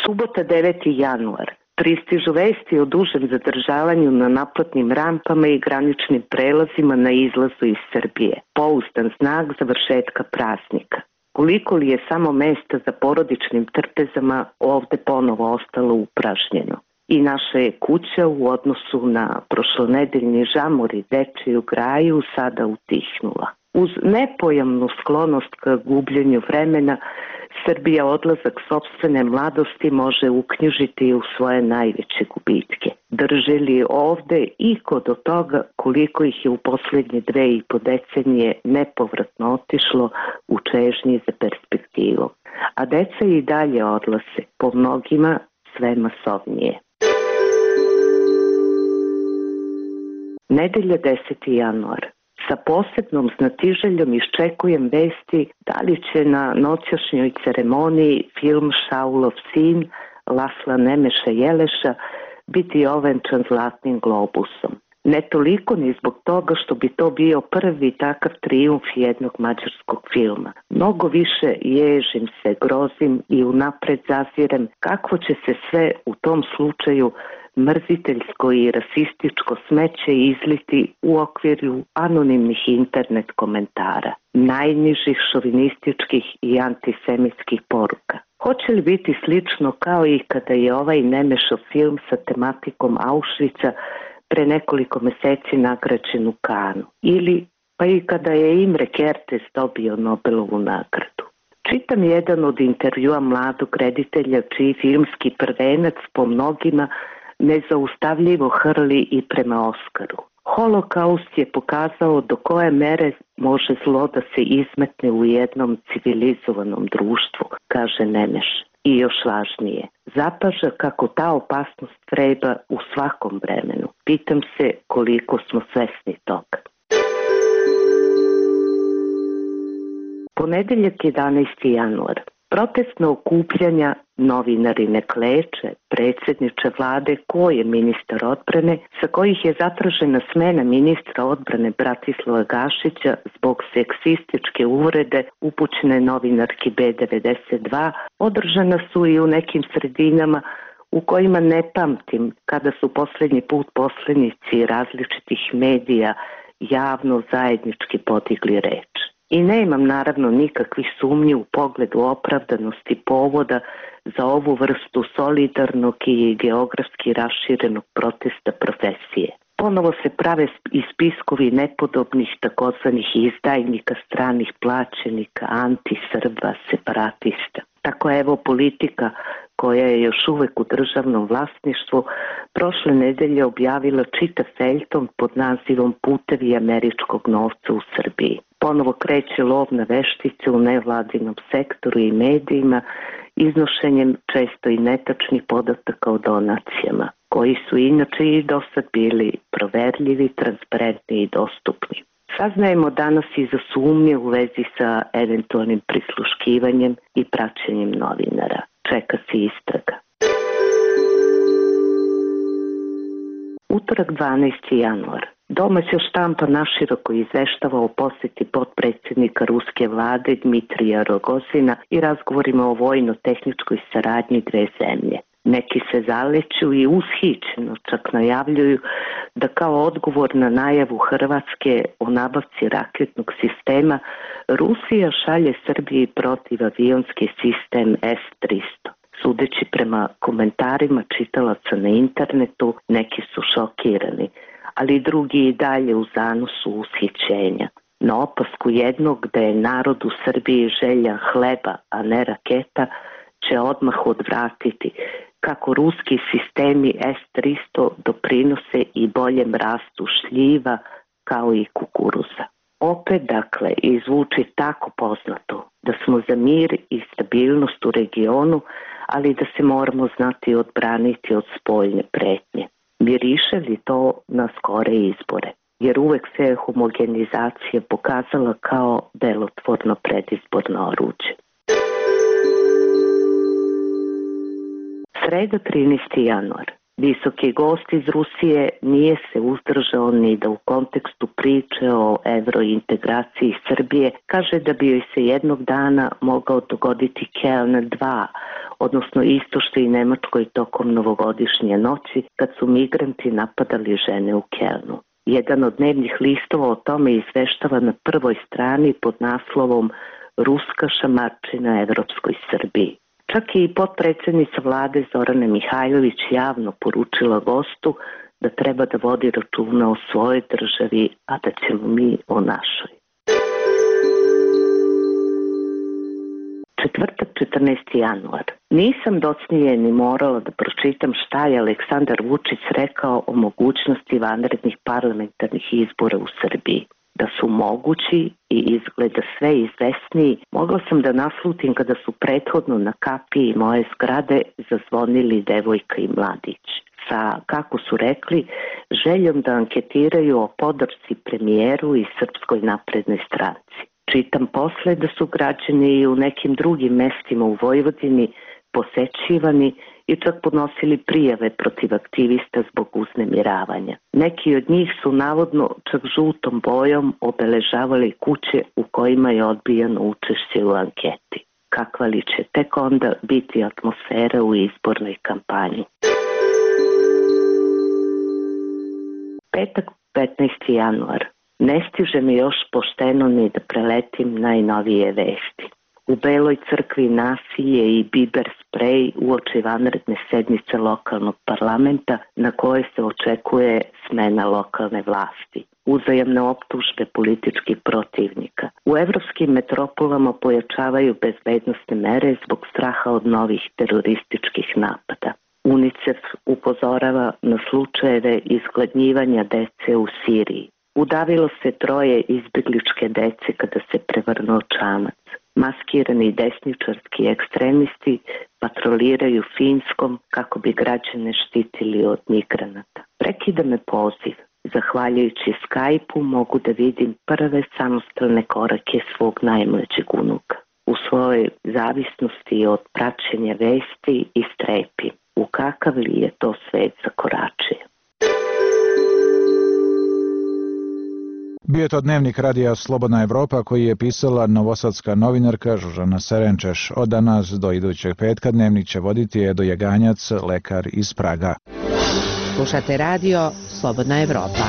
Subota deveti januar. Pristižu vesti o dužem zadržavanju na naplatnim rampama i graničnim prelazima na izlazu iz Srbije. Pouzdan znak završetka praznika. Koliko li je samo mesta za porodičnim trpezama ovde ponovo ostalo upražnjeno. I naša je kuća u odnosu na prošlonedeljni žamor i dečiju graju sada utihnula. Uz nepojamnu sklonost ka gubljenju vremena, Srbija odlazak sopstvene mladosti može uknjižiti u svoje najveće gubitke. Drže li ovde iko do toga koliko ih je u posljednje dve i po decenije nepovratno otišlo u čežnji za perspektivom. A deca i dalje odlaze, po mnogima sve masovnije. Nedelja deseti januar. Sa posebnom znatiželjom iščekujem vesti da li će na noćašnjoj ceremoniji film Šaulov sin Lasla Nemeša Jeleša biti ovenčan zlatnim globusom. Ne toliko ni zbog toga što bi to bio prvi takav trijumf jednog mađarskog filma. Mnogo više ježim se, grozim i unapred zazirem kakvo će se sve u tom slučaju mrziteljsko i rasističko smeće izliti u okviru anonimnih internet komentara, najnižih šovinističkih i antisemitskih poruka. Hoće li biti slično kao i kada je ovaj Nemešov film sa tematikom Auschwitza pre nekoliko meseci nagrađen u Kanu? Ili pa i kada je Imre Kertész dobio Nobelovu nagradu? Čitam jedan od intervjua mladog reditelja čiji filmski prvenac po mnogima nezaustavljivo hrli i prema Oskaru. Holokaust je pokazao do koje mere može zlo da se izmetne u jednom civilizovanom društvu, kaže Nemeš. I još važnije, zapaža kako ta opasnost vreba u svakom vremenu. Pitam se koliko smo svesni toga. Ponedeljak jedanaesti januar. Protestna okupljanja, novinari ne kleče, predsjedniče vlade, ko je ministar odbrane, sa kojih je zatražena smena ministra odbrane Bratislava Gašića zbog seksističke uvrede upućene novinarki B devedeset dva, održana su i u nekim sredinama u kojima ne pamtim kada su posljednji put poslanici različitih medija javno zajednički podigli reč. I nemam naravno nikakvih sumnji u pogledu opravdanosti povoda za ovu vrstu solidarnog i geografski raširenog protesta profesije. Ponovo se prave i spiskovi nepodobnih takozvanih izdajnika, stranih plaćenika, anti-Srba, separatista. Tako evo politika koja je još uvek u državnom vlasništvu prošle nedelje objavila čitav feljton pod nazivom Putevi američkog novca u Srbiji. Ponovo kreće lov na veštice u nevladinom sektoru i medijima, iznošenjem često i netačnih podataka o donacijama. koji su inače i do sad bili proverljivi, transparentni i dostupni. Saznajemo danas i za sumnje u vezi sa eventualnim prisluškivanjem i praćenjem novinara. Čeka se istraga. Utorak dvanaesti januar. Domaća štampa naširoko izveštava o posjeti potpredsjednika ruske vlade Dmitrija Rogozina i razgovorima o vojno-tehničkoj saradnji dve zemlje. Neki se zaleću i ushićeno čak najavljuju da kao odgovor na najavu Hrvatske o nabavci raketnog sistema Rusija šalje Srbiji protivavionski sistem S tristo. Sudeći prema komentarima čitalaca na internetu, neki su šokirani, ali drugi i dalje u zanosu ushićenja. Na opasku jednog da je narod u Srbiji želja hleba, a ne raketa, će odmah odvratiti kako ruski sistemi S tristo doprinose i boljem rastu šljiva kao i kukuruza. Opet, dakle, izvuči tako poznato da smo za mir i stabilnost u regionu, ali da se moramo znati odbraniti od spoljne pretnje. Miriše li to na skore izbore? Jer uvek se homogenizacija pokazala kao delotvorno predizborno oruđe. Sreda trinaesti januar. Visoki gost iz Rusije nije se uzdržao ni da u kontekstu priče o evrointegraciji Srbije kaže da bi joj se jednog dana mogao dogoditi Keln dva, odnosno isto što i Nemačkoj tokom novogodišnje noći kad su migranti napadali žene u Kelnu. Jedan od dnevnih listova o tome izveštava na prvoj strani pod naslovom Ruska šamarčina Evropskoj Srbiji. Čak i potpredsjednica vlade Zorana Mihajlović javno poručila gostu da treba da vodi računa o svojoj državi, a da ćemo mi o našoj. Četvrtak četrnaesti januar. Nisam docnije ni morala da pročitam šta je Aleksandar Vučić rekao o mogućnosti vanrednih parlamentarnih izbora u Srbiji. Da su mogući i izgleda sve izvesniji, mogla sam da naslutim kada su prethodno na kapiji moje zgrade zazvonili devojka i mladić. Sa, kako su rekli, željom da anketiraju o podršci premijeru i Srpskoj naprednoj stranci. Čitam posle da su građani i u nekim drugim mestima u Vojvodini posećivani i čak podnosili prijave protiv aktivista zbog uznemiravanja. Neki od njih su navodno čak žutom bojom obeležavali kuće u kojima je odbijano učešće u anketi. Kakva li će tek onda biti atmosfera u izbornoj kampanji? Petak petnaesti januar. Ne stiže mi još pošteno ni da preletim najnovije vesti. U Beloj crkvi nasilje i biber sprej uoči vanredne sednice lokalnog parlamenta na koje se očekuje smena lokalne vlasti. Uzajamne optužbe političkih protivnika. U evropskim metropolama pojačavaju bezbednosne mere zbog straha od novih terorističkih napada. UNICEF upozorava na slučajeve izgladnjivanja dece u Siriji. Udavilo se troje izbjegličke dece kada se prevrnuo čamac. Maskirani desničarski ekstremisti patroliraju Finskom kako bi građane štitili od migranata. Prekida me poziv. Zahvaljujući Skype-u mogu da vidim prve samostalne korake svog najmlađeg unuka. U svojoj zavisnosti od praćenja vesti i strepi. U kakav li je to svet zakoračio? Bio je to dnevnik radija Slobodna Evropa koji je pisala novosadska novinarka Žužana Serenčeš. Od danas do idućeg petka dnevnik će voditi Edo Jaganjac, lekar iz Praga. Slušate radio Slobodna Evropa.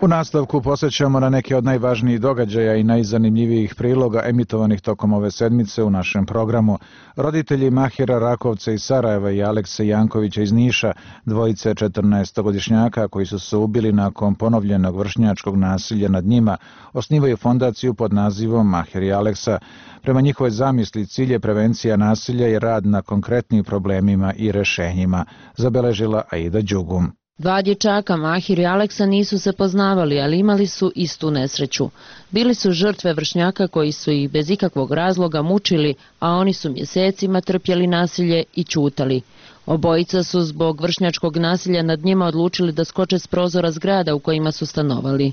U nastavku posjećamo na neke od najvažnijih događaja i najzanimljivijih priloga emitovanih tokom ove sedmice u našem programu. Roditelji Mahira Rakovca iz Sarajeva i Alekse Jankovića iz Niša, dvojice četrnaestogodišnjaka koji su se ubili nakon ponovljenog vršnjačkog nasilja nad njima, osnivaju fondaciju pod nazivom Mahir i Aleksa. Prema njihovoj zamisli cilj je prevencija nasilja i rad na konkretnim problemima i rešenjima, zabeležila Aida Đugum. Dva dječaka, Mahir i Aleksa, nisu se poznavali, ali imali su istu nesreću. Bili su žrtve vršnjaka koji su ih bez ikakvog razloga mučili, a oni su mjesecima trpjeli nasilje i ćutali. Obojica su zbog vršnjačkog nasilja nad njima odlučili da skoče s prozora zgrada u kojima su stanovali.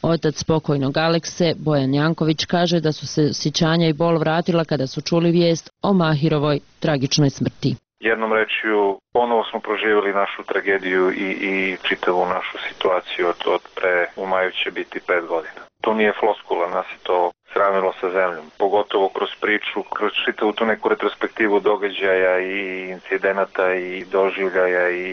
Otac pokojnog Alekse, Bojan Janković, kaže da su se sjećanja i bol vratila kada su čuli vijest o Mahirovoj tragičnoj smrti. Jednom rečju, ponovo smo proživjeli našu tragediju i, i čitavu našu situaciju od, od pre, u maju će biti pet godina. To nije floskula, nas je to sravnilo sa zemljom. Pogotovo kroz priču, kroz čitavu tu neku retrospektivu događaja i incidenata i doživljaja i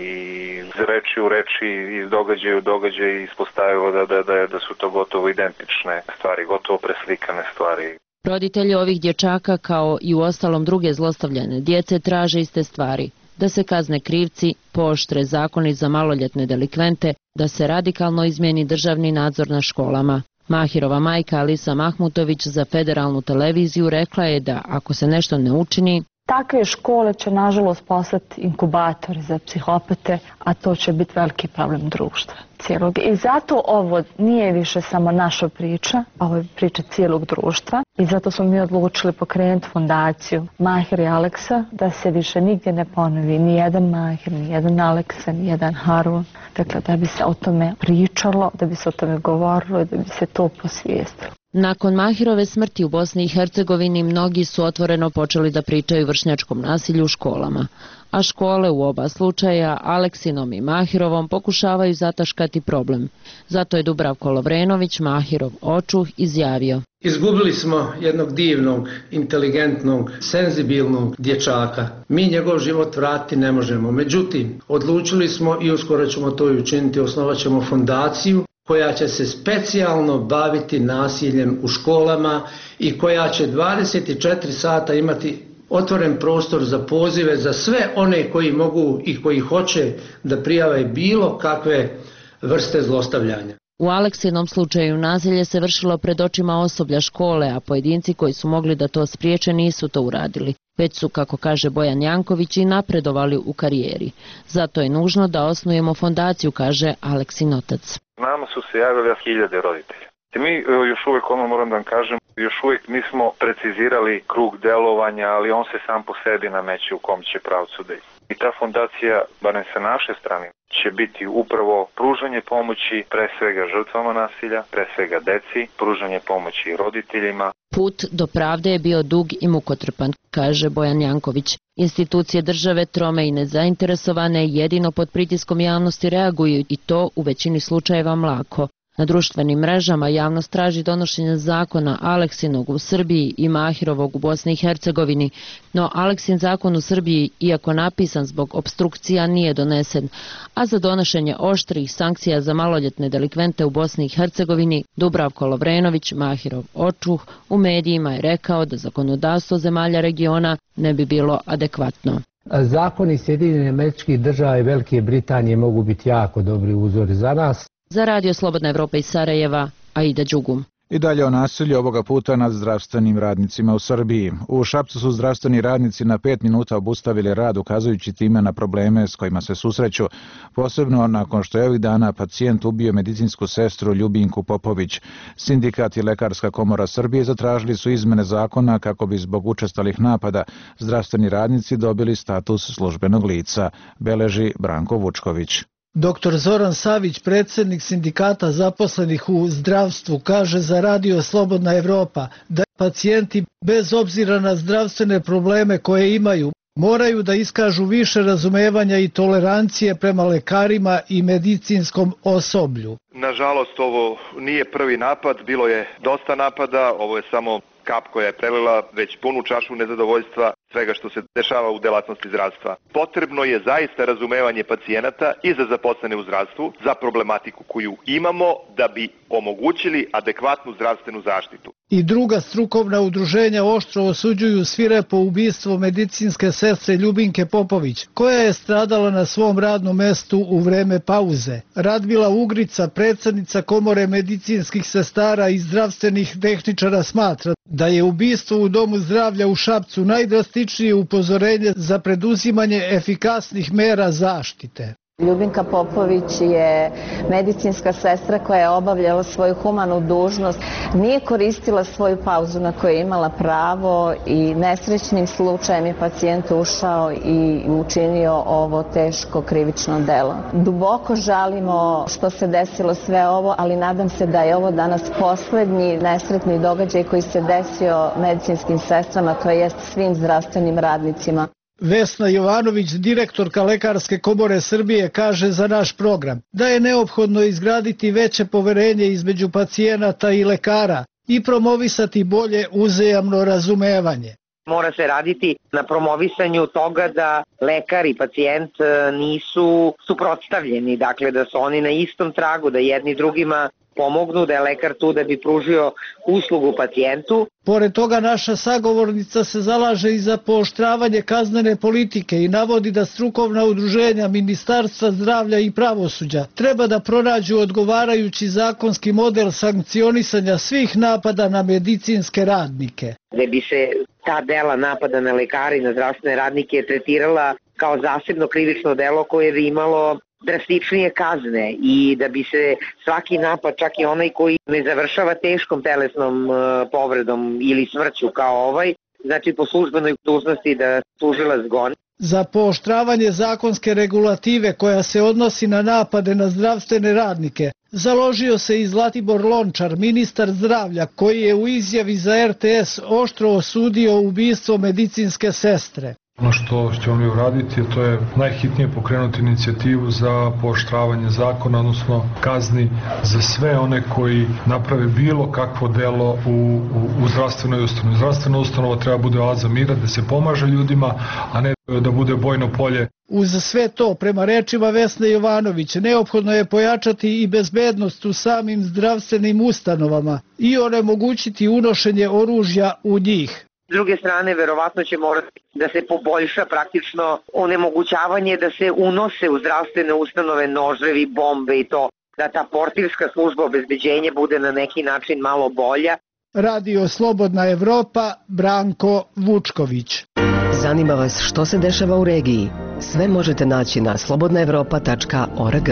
iz reči u reči, iz događaja u događaj ispostavilo da, da, da, da su to gotovo identične stvari, gotovo preslikane stvari. Roditelji ovih dječaka, kao i u ostalom druge zlostavljane djece, traže iste stvari. Da se kazne krivci, pooštre zakoni za maloljetne delikvente, da se radikalno izmijeni državni nadzor na školama. Mahirova majka Alisa Mahmutović za federalnu televiziju rekla je da ako se nešto ne učini, takve škole će nažalost postati inkubatori za psihopate, a to će biti veliki problem društva cijelog. I zato ovo nije više samo naša priča, ovo je priča cijelog društva. I zato smo mi odlučili pokrenuti fondaciju Mahir i Aleksa, da se više nigdje ne ponovi ni jedan Mahir, ni jedan Aleksa, ni jedan Harun. Dakle, da bi se o tome pričalo, da bi se o tome govorilo, da bi se to posvijestilo. Nakon Mahirove smrti u Bosni i Hercegovini mnogi su otvoreno počeli da pričaju vršnjačkom nasilju u školama, a škole u oba slučaja, Aleksinom i Mahirovom, pokušavaju zataškati problem. Zato je Dubravko Lovrenović, Mahirov očuh, izjavio: Izgubili smo jednog divnog, inteligentnog, senzibilnog dječaka. Mi njegov život vratiti ne možemo. Međutim, odlučili smo i uskoro ćemo to i učiniti, osnovat ćemo fondaciju koja će se specijalno baviti nasiljem u školama i koja će dvadeset četiri sata imati otvoren prostor za pozive za sve one koji mogu i koji hoće da prijave bilo kakve vrste zlostavljanja. U Aleksinom slučaju nasilje se vršilo pred očima osoblja škole, a pojedinci koji su mogli da to spriječe nisu to uradili. Već su, kako kaže Bojan Janković, i napredovali u karijeri. Zato je nužno da osnujemo fondaciju, kaže Aleksin otac. Nama su se javili hiljade roditelja. Mi još uvijek, ono moram da vam kažem, još uvijek nismo precizirali krug delovanja, ali on se sam po sebi nameće u kom će pravcu da ide. I ta fondacija, barem sa naše strane, će biti upravo pružanje pomoći pre svega žrtvama nasilja, pre svega deci, pružanje pomoći roditeljima. Put do pravde je bio dug i mukotrpan, kaže Bojan Janković. Institucije države, trome i nezainteresovane, jedino pod pritiskom javnosti reaguju i to u većini slučajeva mlako. Na društvenim mrežama javnost traži donošenje zakona Aleksinog u Srbiji i Mahirovog u Bosni i Hercegovini, no Aleksin zakon u Srbiji, iako napisan zbog opstrukcija, nije donesen, a za donošenje oštrih sankcija za maloljetne delikvente u Bosni i Hercegovini Dubravko Lovrenović, Mahirov očuh, u medijima je rekao da zakonodavstvo zemalja regiona ne bi bilo adekvatno. Zakoni Sjedinjenih Američkih Država i Velike Britanije mogu biti jako dobri uzori za nas. Za Radio Slobodna Evropa iz Sarajeva, Aida Đugum. I dalje o nasilju, ovoga puta nad zdravstvenim radnicima u Srbiji. U Šapcu su zdravstveni radnici na pet minuta obustavili rad, ukazujući time na probleme s kojima se susreću, posebno nakon što je ovih dana pacijent ubio medicinsku sestru Ljubinku Popović. Sindikat i Lekarska komora Srbije zatražili su izmene zakona kako bi zbog učestalih napada zdravstveni radnici dobili status službenog lica, beleži Branko Vučković. Doktor Zoran Savić, predsjednik sindikata zaposlenih u zdravstvu, kaže za Radio Slobodna Evropa da pacijenti, bez obzira na zdravstvene probleme koje imaju, moraju da iskažu više razumevanja i tolerancije prema lekarima i medicinskom osoblju. Nažalost, ovo nije prvi napad, bilo je dosta napada, ovo je samo kap koja je prelila već punu čašu nezadovoljstva svega što se dešava u delatnosti zdravstva. Potrebno je zaista razumevanje pacijenata i za zaposlene u zdravstvu, za problematiku koju imamo da bi omogućili adekvatnu zdravstvenu zaštitu. I druga strukovna udruženja oštro osuđuju svirepo ubistvo medicinske sestre Ljubinke Popović, koja je stradala na svom radnom mestu u vreme pauze. Radmila Ugrica, predsjednica Komore medicinskih sestara i zdravstvenih tehničara, smatra da je ubistvo u Domu zdravlja u Šapcu najdrastičnije upozorenje za preduzimanje efikasnih mera zaštite. Ljubinka Popović je medicinska sestra koja je obavljala svoju humanu dužnost, nije koristila svoju pauzu na koju je imala pravo i nesrećnim slučajem je pacijent ušao i učinio ovo teško krivično delo. Duboko žalimo što se desilo sve ovo, ali nadam se da je ovo danas poslednji nesretni događaj koji se desio medicinskim sestrama, to jest svim zdravstvenim radnicima. Vesna Jovanović, direktorka Lekarske komore Srbije, kaže za naš program da je neophodno izgraditi veće poverenje između pacijenata i lekara i promovisati bolje uzajamno razumevanje. Mora se raditi na promovisanju toga da lekar i pacijent nisu suprotstavljeni, dakle da su oni na istom tragu, da jedni drugima pomognu, da je lekar tu da bi pružio uslugu pacijentu. Pored toga naša sagovornica se zalaže i za pooštravanje kaznene politike i navodi da strukovna udruženja Ministarstva zdravlja i pravosuđa treba da pronađu odgovarajući zakonski model sankcionisanja svih napada na medicinske radnike. Da bi se ta dela napada na lekare i na zdravstvene radnike tretirala kao zasebno krivično delo koje bi imalo drastičnije kazne i da bi se svaki napad, čak i onaj koji ne završava teškom telesnom povredom ili smrću kao ovaj, znači po službenoj dužnosti da tužilac goni. Za pooštravanje zakonske regulative koja se odnosi na napade na zdravstvene radnike založio se i Zlatibor Lončar, ministar zdravlja, koji je u izjavi za er te es oštro osudio ubistvo medicinske sestre. Ono što ćemo mi uraditi, to je najhitnije pokrenuti inicijativu za pooštravanje zakona, odnosno kazni za sve one koji naprave bilo kakvo delo u, u, u zdravstvenoj ustanovi. Zdravstvena ustanova treba bude oaza mira, da se pomaže ljudima, a ne da bude bojno polje. Uz sve to, prema rečima Vesne Jovanović, neophodno je pojačati i bezbednost u samim zdravstvenim ustanovama i onemogućiti unošenje oružja u njih. S druge strane, verovatno će morati da se poboljša praktično onemogućavanje da se unose u zdravstvene ustanove noževi, bombe i to, da ta portirska služba obezbeđenja bude na neki način malo bolja. Radio Slobodna Evropa, Branko Vučković. Zanima vas što se dešava u regiji? Sve možete naći na slobodna evropa tačka org.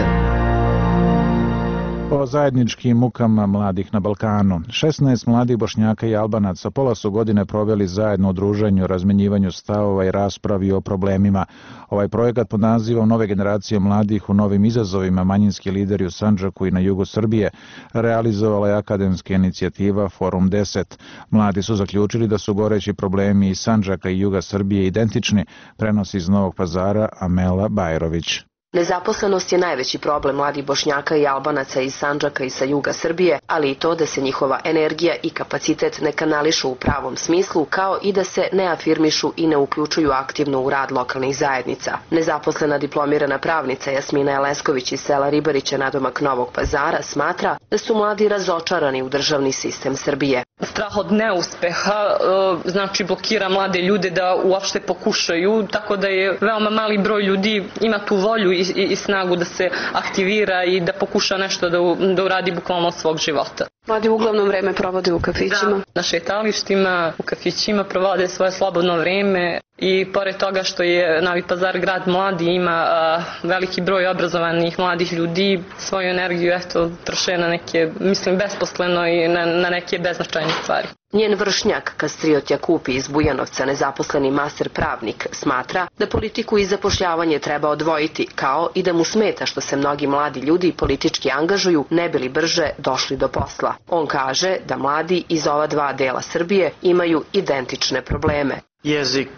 O zajedničkim mukama mladih na Balkanu. šesnaest mladih Bošnjaka i Albanaca pola su godine proveli zajedno u druženju, razmenjivanju stavova i raspravi o problemima. Ovaj projekat pod nazivom Nove generacije mladih u novim izazovima manjinski lideri u Sandžaku i na jugu Srbije realizovala je akademska inicijativa Forum deset. Mladi su zaključili da su goreći problemi iz Sandžaka i juga Srbije identični, prenosi iz Novog Pazara Amela Bajrović. Nezaposlenost je najveći problem mladih Bošnjaka i Albanaca iz Sandžaka i sa juga Srbije, ali i to da se njihova energija i kapacitet ne kanališu u pravom smislu, kao i da se ne afirmišu i ne uključuju aktivno u rad lokalnih zajednica. Nezaposlena diplomirana pravnica Jasmina Elesković iz sela Ribarića nadomak Novog Pazara smatra da su mladi razočarani u državni sistem Srbije. Strah od neuspeha znači blokira mlade ljude da uopšte pokušaju, tako da je veoma mali broj ljudi ima tu volju i, i, i snagu da se aktivira i da pokuša nešto da, u, da uradi bukvalno od svog života. Mladi uglavnom vreme provode u kafićima. Da, na šetalištima, u kafićima provode svoje slobodno vreme i pored toga što je Novi Pazar grad mladi, ima a, veliki broj obrazovanih mladih ljudi, svoju energiju eto troše na neke, mislim, besposleno i na, na neke beznačajne stvari. Njen vršnjak, Kastriot Jakupi iz Bujanovca, nezaposleni master pravnik, smatra da politiku i zapošljavanje treba odvojiti, kao i da mu smeta što se mnogi mladi ljudi politički angažuju ne bi li brže došli do posla. On kaže da mladi iz ova dva dela Srbije imaju identične probleme. Jezik,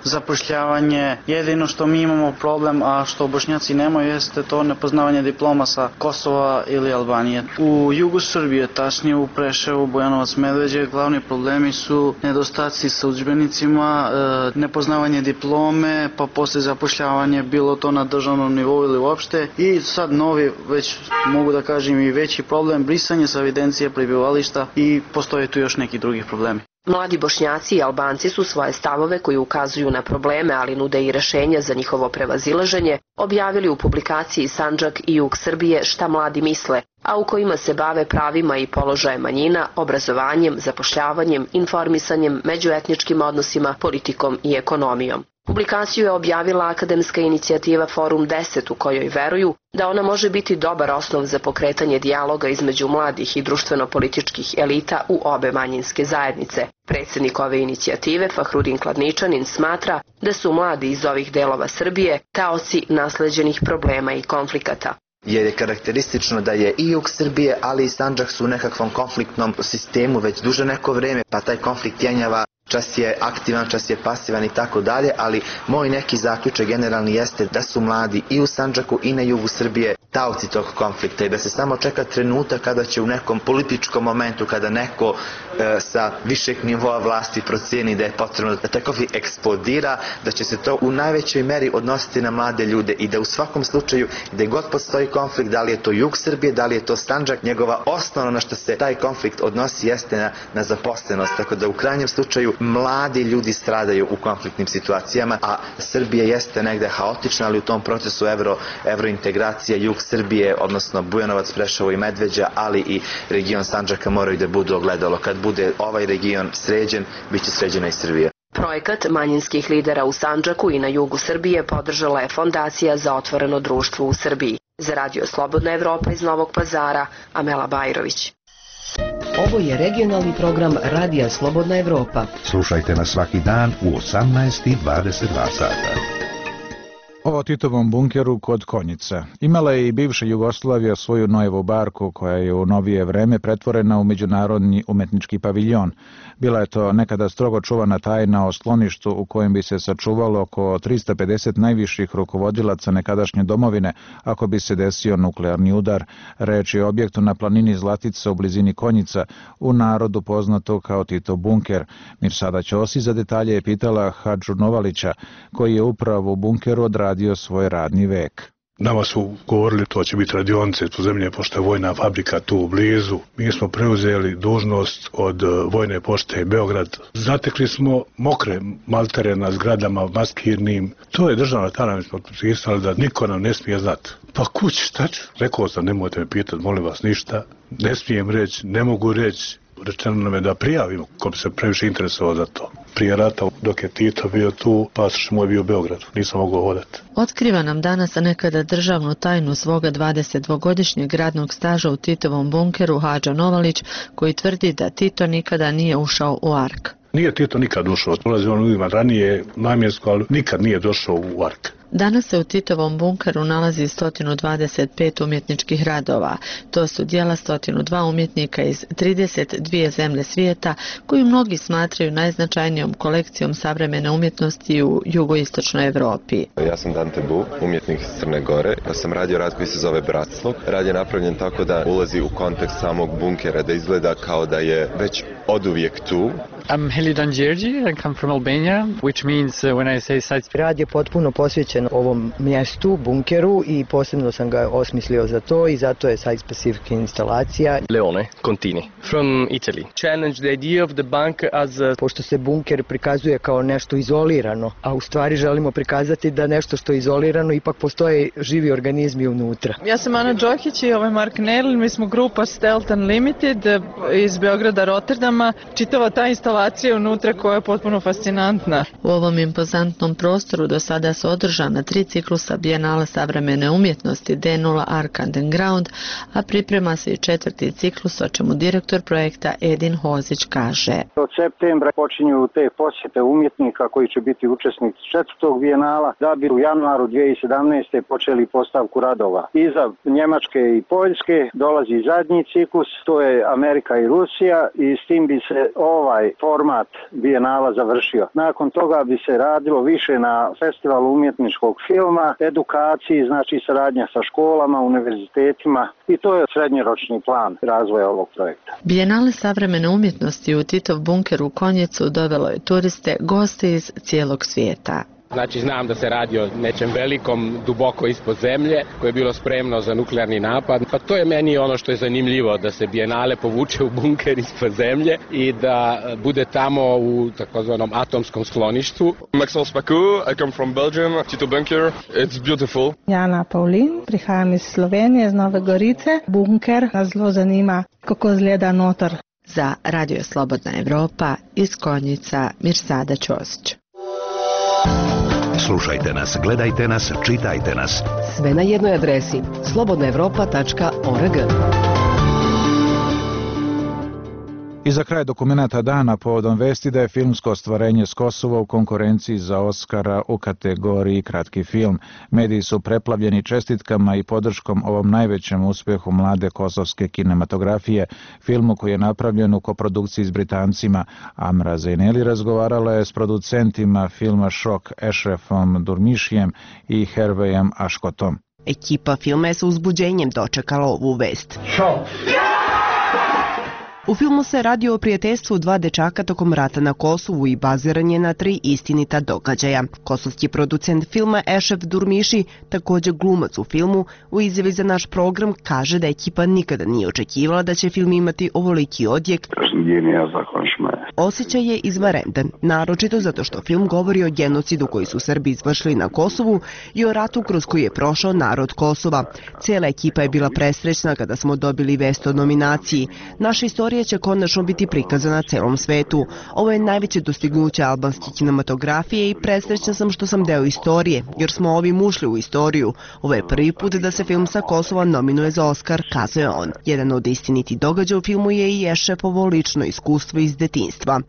zapošljavanje, jedino što mi imamo problem, a što Bošnjaci nemaju, jeste to nepoznavanje diploma sa Kosova ili Albanije. U jugu Srbije, tačnije u Preševu, Bujanovac, Medveđe, glavni problemi su nedostaci sa udžbenicima, nepoznavanje diplome, pa posle zapošljavanje, bilo to na državnom nivou ili uopšte. I sad novi, već mogu da kažem i veći problem, brisanje sa evidencije prebivališta i postoje tu još neki drugi problemi. Mladi Bošnjaci i Albanci su svoje stavove koji ukazuju na probleme, ali nude i rešenja za njihovo prevazilaženje, objavili u publikaciji Sandžak i jug Srbije šta mladi misle, a u kojima se bave pravima i položajem manjina, obrazovanjem, zapošljavanjem, informisanjem, međuetničkim odnosima, politikom i ekonomijom. Publikaciju je objavila akademska inicijativa Forum deset u kojoj veruju da ona može biti dobar osnov za pokretanje dijaloga između mladih i društveno-političkih elita u obe manjinske zajednice. Predsjednik ove inicijative, Fahrudin Kladničanin, smatra da su mladi iz ovih delova Srbije taoci nasleđenih problema i konflikata. Jer je karakteristično da je i jug Srbije, ali i Sandžak su u nekakvom konfliktnom sistemu već duže neko vreme, pa taj konflikt jenjava, čas je aktivan, čas je pasivan i tako dalje, ali moj neki zaključak generalni jeste da su mladi i u Sandžaku i na jugu Srbije taoci tog konflikta i da se samo čeka trenutak kada će u nekom političkom momentu, kada neko e, sa višeg nivoa vlasti proceni da je potrebno da taj konflikt eksplodira, da će se to u najvećoj meri odnositi na mlade ljude i da u svakom slučaju, gde god postoji konflikt, da li je to jug Srbije, da li je to Sandžak, njegova osnovna na što se taj konflikt odnosi jeste na, na zaposlenost, tako da u krajnjem slučaju mladi ljudi stradaju u konfliktnim situacijama, a Srbija jeste negde haotična, ali u tom procesu evro, evrointegracija, jug Srbije, odnosno Bujanovac, Preševo i Medveđa, ali i region Sandžaka moraju da budu ogledalo. Kad bude ovaj region sređen, bit će sređena i Srbija. Projekat manjinskih lidera u Sandžaku i na jugu Srbije podržala je Fondacija za otvoreno društvo u Srbiji. Za Radio Slobodna Evropa iz Novog Pazara, Amela Bajrović. Ovo je regionalni program Radija Slobodna Evropa. Slušajte nas svaki dan u osamnaest i dvadeset dva sata. O Titovom bunkeru kod Konjica. Imala je i bivša Jugoslavija svoju nojevu barku koja je u novije vreme pretvorena u međunarodni umetnički paviljon. Bila je to nekada strogo čuvana tajna o skloništu u kojem bi se sačuvalo oko trista pedeset najviših rukovodilaca nekadašnje domovine ako bi se desio nuklearni udar. Reč je o objektu na planini Zlatica u blizini Konjica, u narodu poznato kao Titov bunker. Mirsada Ćosi za detalje je pitala Hadžu Novalića, koji je upravo u bunkeru odradio svoj radni vek. Nama su govorili to će biti radionice tu zemlje, pošto je vojna fabrika tu u blizu. Mi smo preuzeli dužnost od vojne pošte Beograd. Zatekli smo mokre maltere na zgradama maskirnim. To je državna tajna, mi smo potpisali da niko nam ne smije znati. Pa kuć, šta ću? Rekao sam, nemojte me pitati, molim vas ništa. Ne smijem reći, ne mogu reći. Rečeno nam je da prijavimo ko bi se previše interesovao za to. Prije rata, dok je Tito bio tu, pasoš moj bio u Beogradu, nisam mogao hodati. Otkriva nam danas nekada državnu tajnu svoga dvadesetdvogodišnjeg radnog staža u Titovom bunkeru Hadža Novalić, koji tvrdi da Tito nikada nije ušao u Ark. Nije Tito nikad ušao, ulazi on uvijek ranije namjensko, ali nikad nije došao u Ark. Danas se u Titovom bunkeru nalazi sto dvadeset pet umjetničkih radova. To su djela sto dva umjetnika iz trideset dvije zemlje svijeta, koju mnogi smatraju najznačajnijom kolekcijom savremene umjetnosti u jugoistočnoj Evropi. Ja sam Dante Bu, umjetnik iz Crne Gore. Ja sam radio rad koji se zove Bratslog. Rad je napravljen tako da ulazi u kontekst samog bunkera, da izgleda kao da je već oduvijek tu. I'm Helidan Đerđi, I come from Albania, which means uh, when I say site... Rad je potpuno posvećen ovom mjestu, bunkeru, i posebno sam ga osmislio za to i zato je site-specific instalacija. Leone Contini, from Italy. Challenge the idea of the bunker as a... Pošto se bunker prikazuje kao nešto izolirano, a u stvari želimo prikazati da nešto što je izolirano ipak postoje živi organizmi unutra. Ja sam Ana Đokić i ovo je Mark Nerl, mi smo grupa Stealth Unlimited iz Beograda, Rotterdama. Čitava ta instalacija unutra koja je potpuno fascinantna. U ovom impozantnom prostoru do sada su održana tri ciklusa Bijenala savremene umjetnosti D nula Ark Underground, a priprema se i četvrti ciklus, o čemu direktor projekta Edin Hozić kaže. Od septembra počinju te posjete umjetnika koji će biti učesnici četvrtog Bijenala, da bi u januaru dvije tisuće sedamnaeste. počeli postavku radova. Iza Njemačke i Poljske dolazi zadnji ciklus, to je Amerika i Rusija, i s tim bi se ovaj format Bijenala završio. Nakon toga bi se radilo više na festivalu umjetničkog filma, edukaciji, znači saradnja sa školama, univerzitetima, i to je srednjoročni plan razvoja ovog projekta. Bijenale savremene umjetnosti u Titov bunker u Konjicu dovelo je turiste, goste iz cijelog svijeta. Znači, znam da se radi o nečem velikom, duboko ispod zemlje, koje je bilo spremno za nuklearni napad. Pa to je meni ono što je zanimljivo, da se Bijenale povuče u bunker ispod zemlje i da bude tamo u takozvanom atomskom skloništu. Maxence Paco, I come from Belgium, Tito bunker, it's beautiful. Jana Paulin, prihajam iz Slovenije, iz Nove Gorice. Bunker nas zelo zanima, kako izgleda notor. Za Radio Slobodna Evropa iz Konjica, Mirsada Ćosić. Slušajte nas, gledajte nas, čitajte nas. Sve na jednoj adresi slobodna evropa tačka org. I za kraj dokumenata dana povodom vesti da je filmsko ostvarenje s Kosova u konkurenciji za Oskara u kategoriji kratki film. Mediji su preplavljeni čestitkama i podrškom ovom najvećem uspjehu mlade kosovske kinematografije, filmu koji je napravljen u koprodukciji s Britancima. Amra Zeyneli razgovarala je s producentima filma Šok Ešrefom Durmišijem i Hervejem Aškotom. Ekipa filma je sa uzbuđenjem dočekala ovu vest. Šok! U filmu se radi o prijateljstvu dva dečaka tokom rata na Kosovu i baziran je na tri istinita događaja. Kosovski producent filma Ešref Durmiši, također glumac u filmu, u izjavi za naš program kaže da ekipa nikada nije očekivala da će film imati ovoliki odjek. Osjećaj je izvanredan, naročito zato što film govori o genocidu koji su Srbi izvršili na Kosovu i o ratu kroz koji je prošao narod Kosova. Cijela ekipa je bila presrećna kada smo dobili vest o nominaciji. Naša istorija će konačno biti prikazana celom svetu. Ovo je najveće dostignuće albanske kinematografije i presrećna sam što sam deo istorije, jer smo ovim ušli u istoriju. Ovo je prvi put da se film sa Kosova nominuje za Oskar, kazuje on. Jedan od istinitih događaja u filmu je i Ešrefovo lično iskustvo iz detinjstva.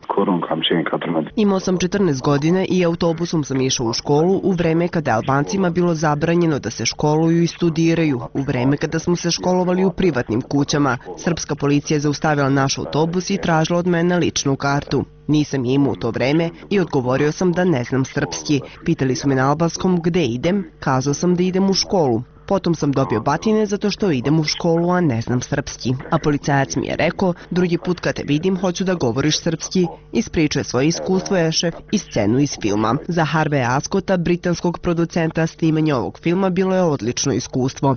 Imao sam četrnaest godine i autobusom sam išao u školu u vreme kada je Albancima bilo zabranjeno da se školuju i studiraju, u vreme kada smo se školovali u privatnim kućama. Srpska policija je zaustavila naš autobus i tražila od mene ličnu kartu. Nisam je imao u to vreme i odgovorio sam da ne znam srpski. Pitali su me na albanskom gde idem, kazao sam da idem u školu. Potom sam dobio batine zato što idem u školu, a ne znam srpski. A policajac mi je rekao, drugi put kad te vidim hoću da govoriš srpski. Ispričuje svoje iskustvo Ešref i scenu iz filma. Za Harveya Ascota, britanskog producenta, snimanje ovog filma bilo je odlično iskustvo.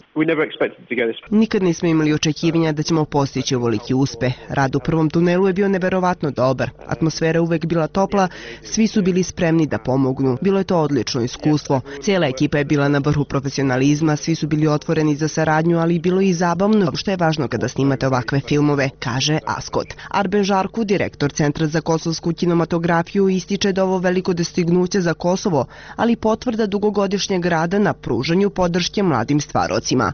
Nikad nismo imali očekivanja da ćemo postići ovoliki uspeh. Rad u prvom tunelu je bio neverovatno dobar. Atmosfera uvek bila topla, svi su bili spremni da pomognu. Bilo je to odlično iskustvo. Cijela ekipa je bila na vrhu profesionalizma, svi su bili otvoreni za saradnju, ali bilo i zabavno, što je važno kada snimate ovakve filmove, kaže Ascot. Arben Žarku, direktor Centra za kosovsku kinematografiju, ističe da ovo veliko dostignuće za Kosovo, ali potvrda dugogodišnjeg rada na pružanju podrške mladim stvarocima.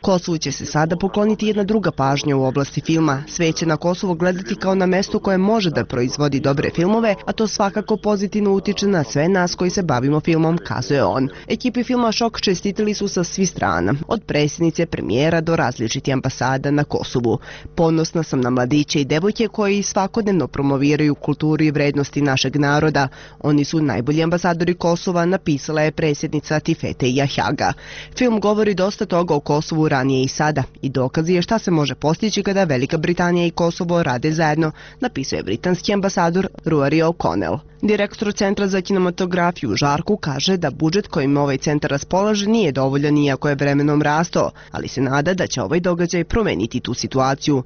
Kosovu će se sada pokloniti jedna druga pažnja u oblasti filma. Sve će na Kosovo gledati kao na mesto koje može da proizvodi dobre filmove, a to svakako pozitivno utiče na sve nas koji se bavimo filmom, kazuje on. Ekipi filma Šok čestitili su sa svih strana, od predsjednice, premijera do različitih ambasada na Kosovu. Ponosna sam na mladiće i devojke koji svakodnevno promoviraju kulturu i vrednosti našeg naroda. Oni su najbolji ambasadori Kosova, napisala je predsjednica Tifete Jahjaga. Film govori dosta toga o Kosovu ranije i sada i dokazi je šta se može postići kada Velika Britanija i Kosovo rade zajedno, napisao je britanski ambasador Rory O'Connell. Direktor Centra za kinematografiju Žarku kaže da budžet kojim ovaj centar raspolaže nije dovoljan iako je vremenom rastao, ali se nada da će ovaj događaj promeniti tu situaciju.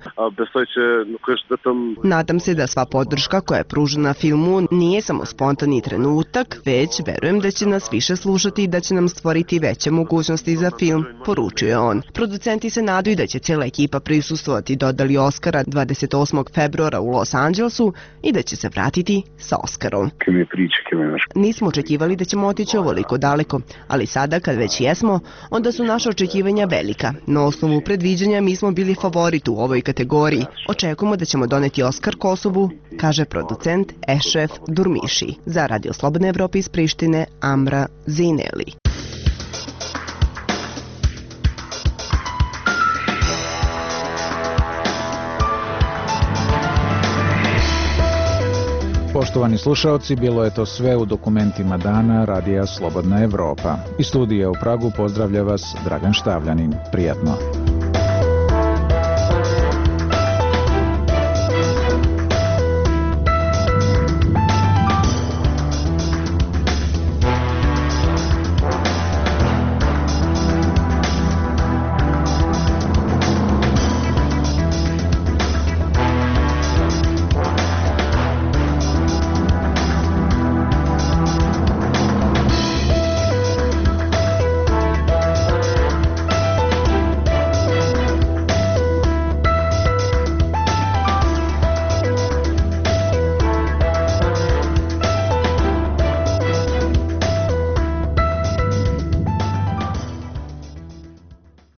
Nadam se da sva podrška koja je pružena filmu nije samo spontani trenutak, već verujem da će nas više slušati i da će nam stvoriti veće mogućnosti za film, poručuje on. Producenti se nadaju da će cijela ekipa prisustvovati dodali Oskara dvadeset osmog februara u Los Angelesu i da će se vratiti sa Oskarom. Nismo očekivali da ćemo otići ovoliko daleko, ali sada kad već jesmo, onda su naša očekivanja velika. Na osnovu predviđanja mi smo bili favorit u ovoj kategoriji. Očekujemo da ćemo doneti Oskar Kosovu, kaže producent Ešref Durmiši. Za Radio Slobodne Evrope iz Prištine, Amra Zeyneli. Poštovani slušaoci, bilo je to sve u dokumentima dana Radija Slobodna Evropa. Iz studija u Pragu pozdravlja vas Dragan Štavljanin. Prijatno.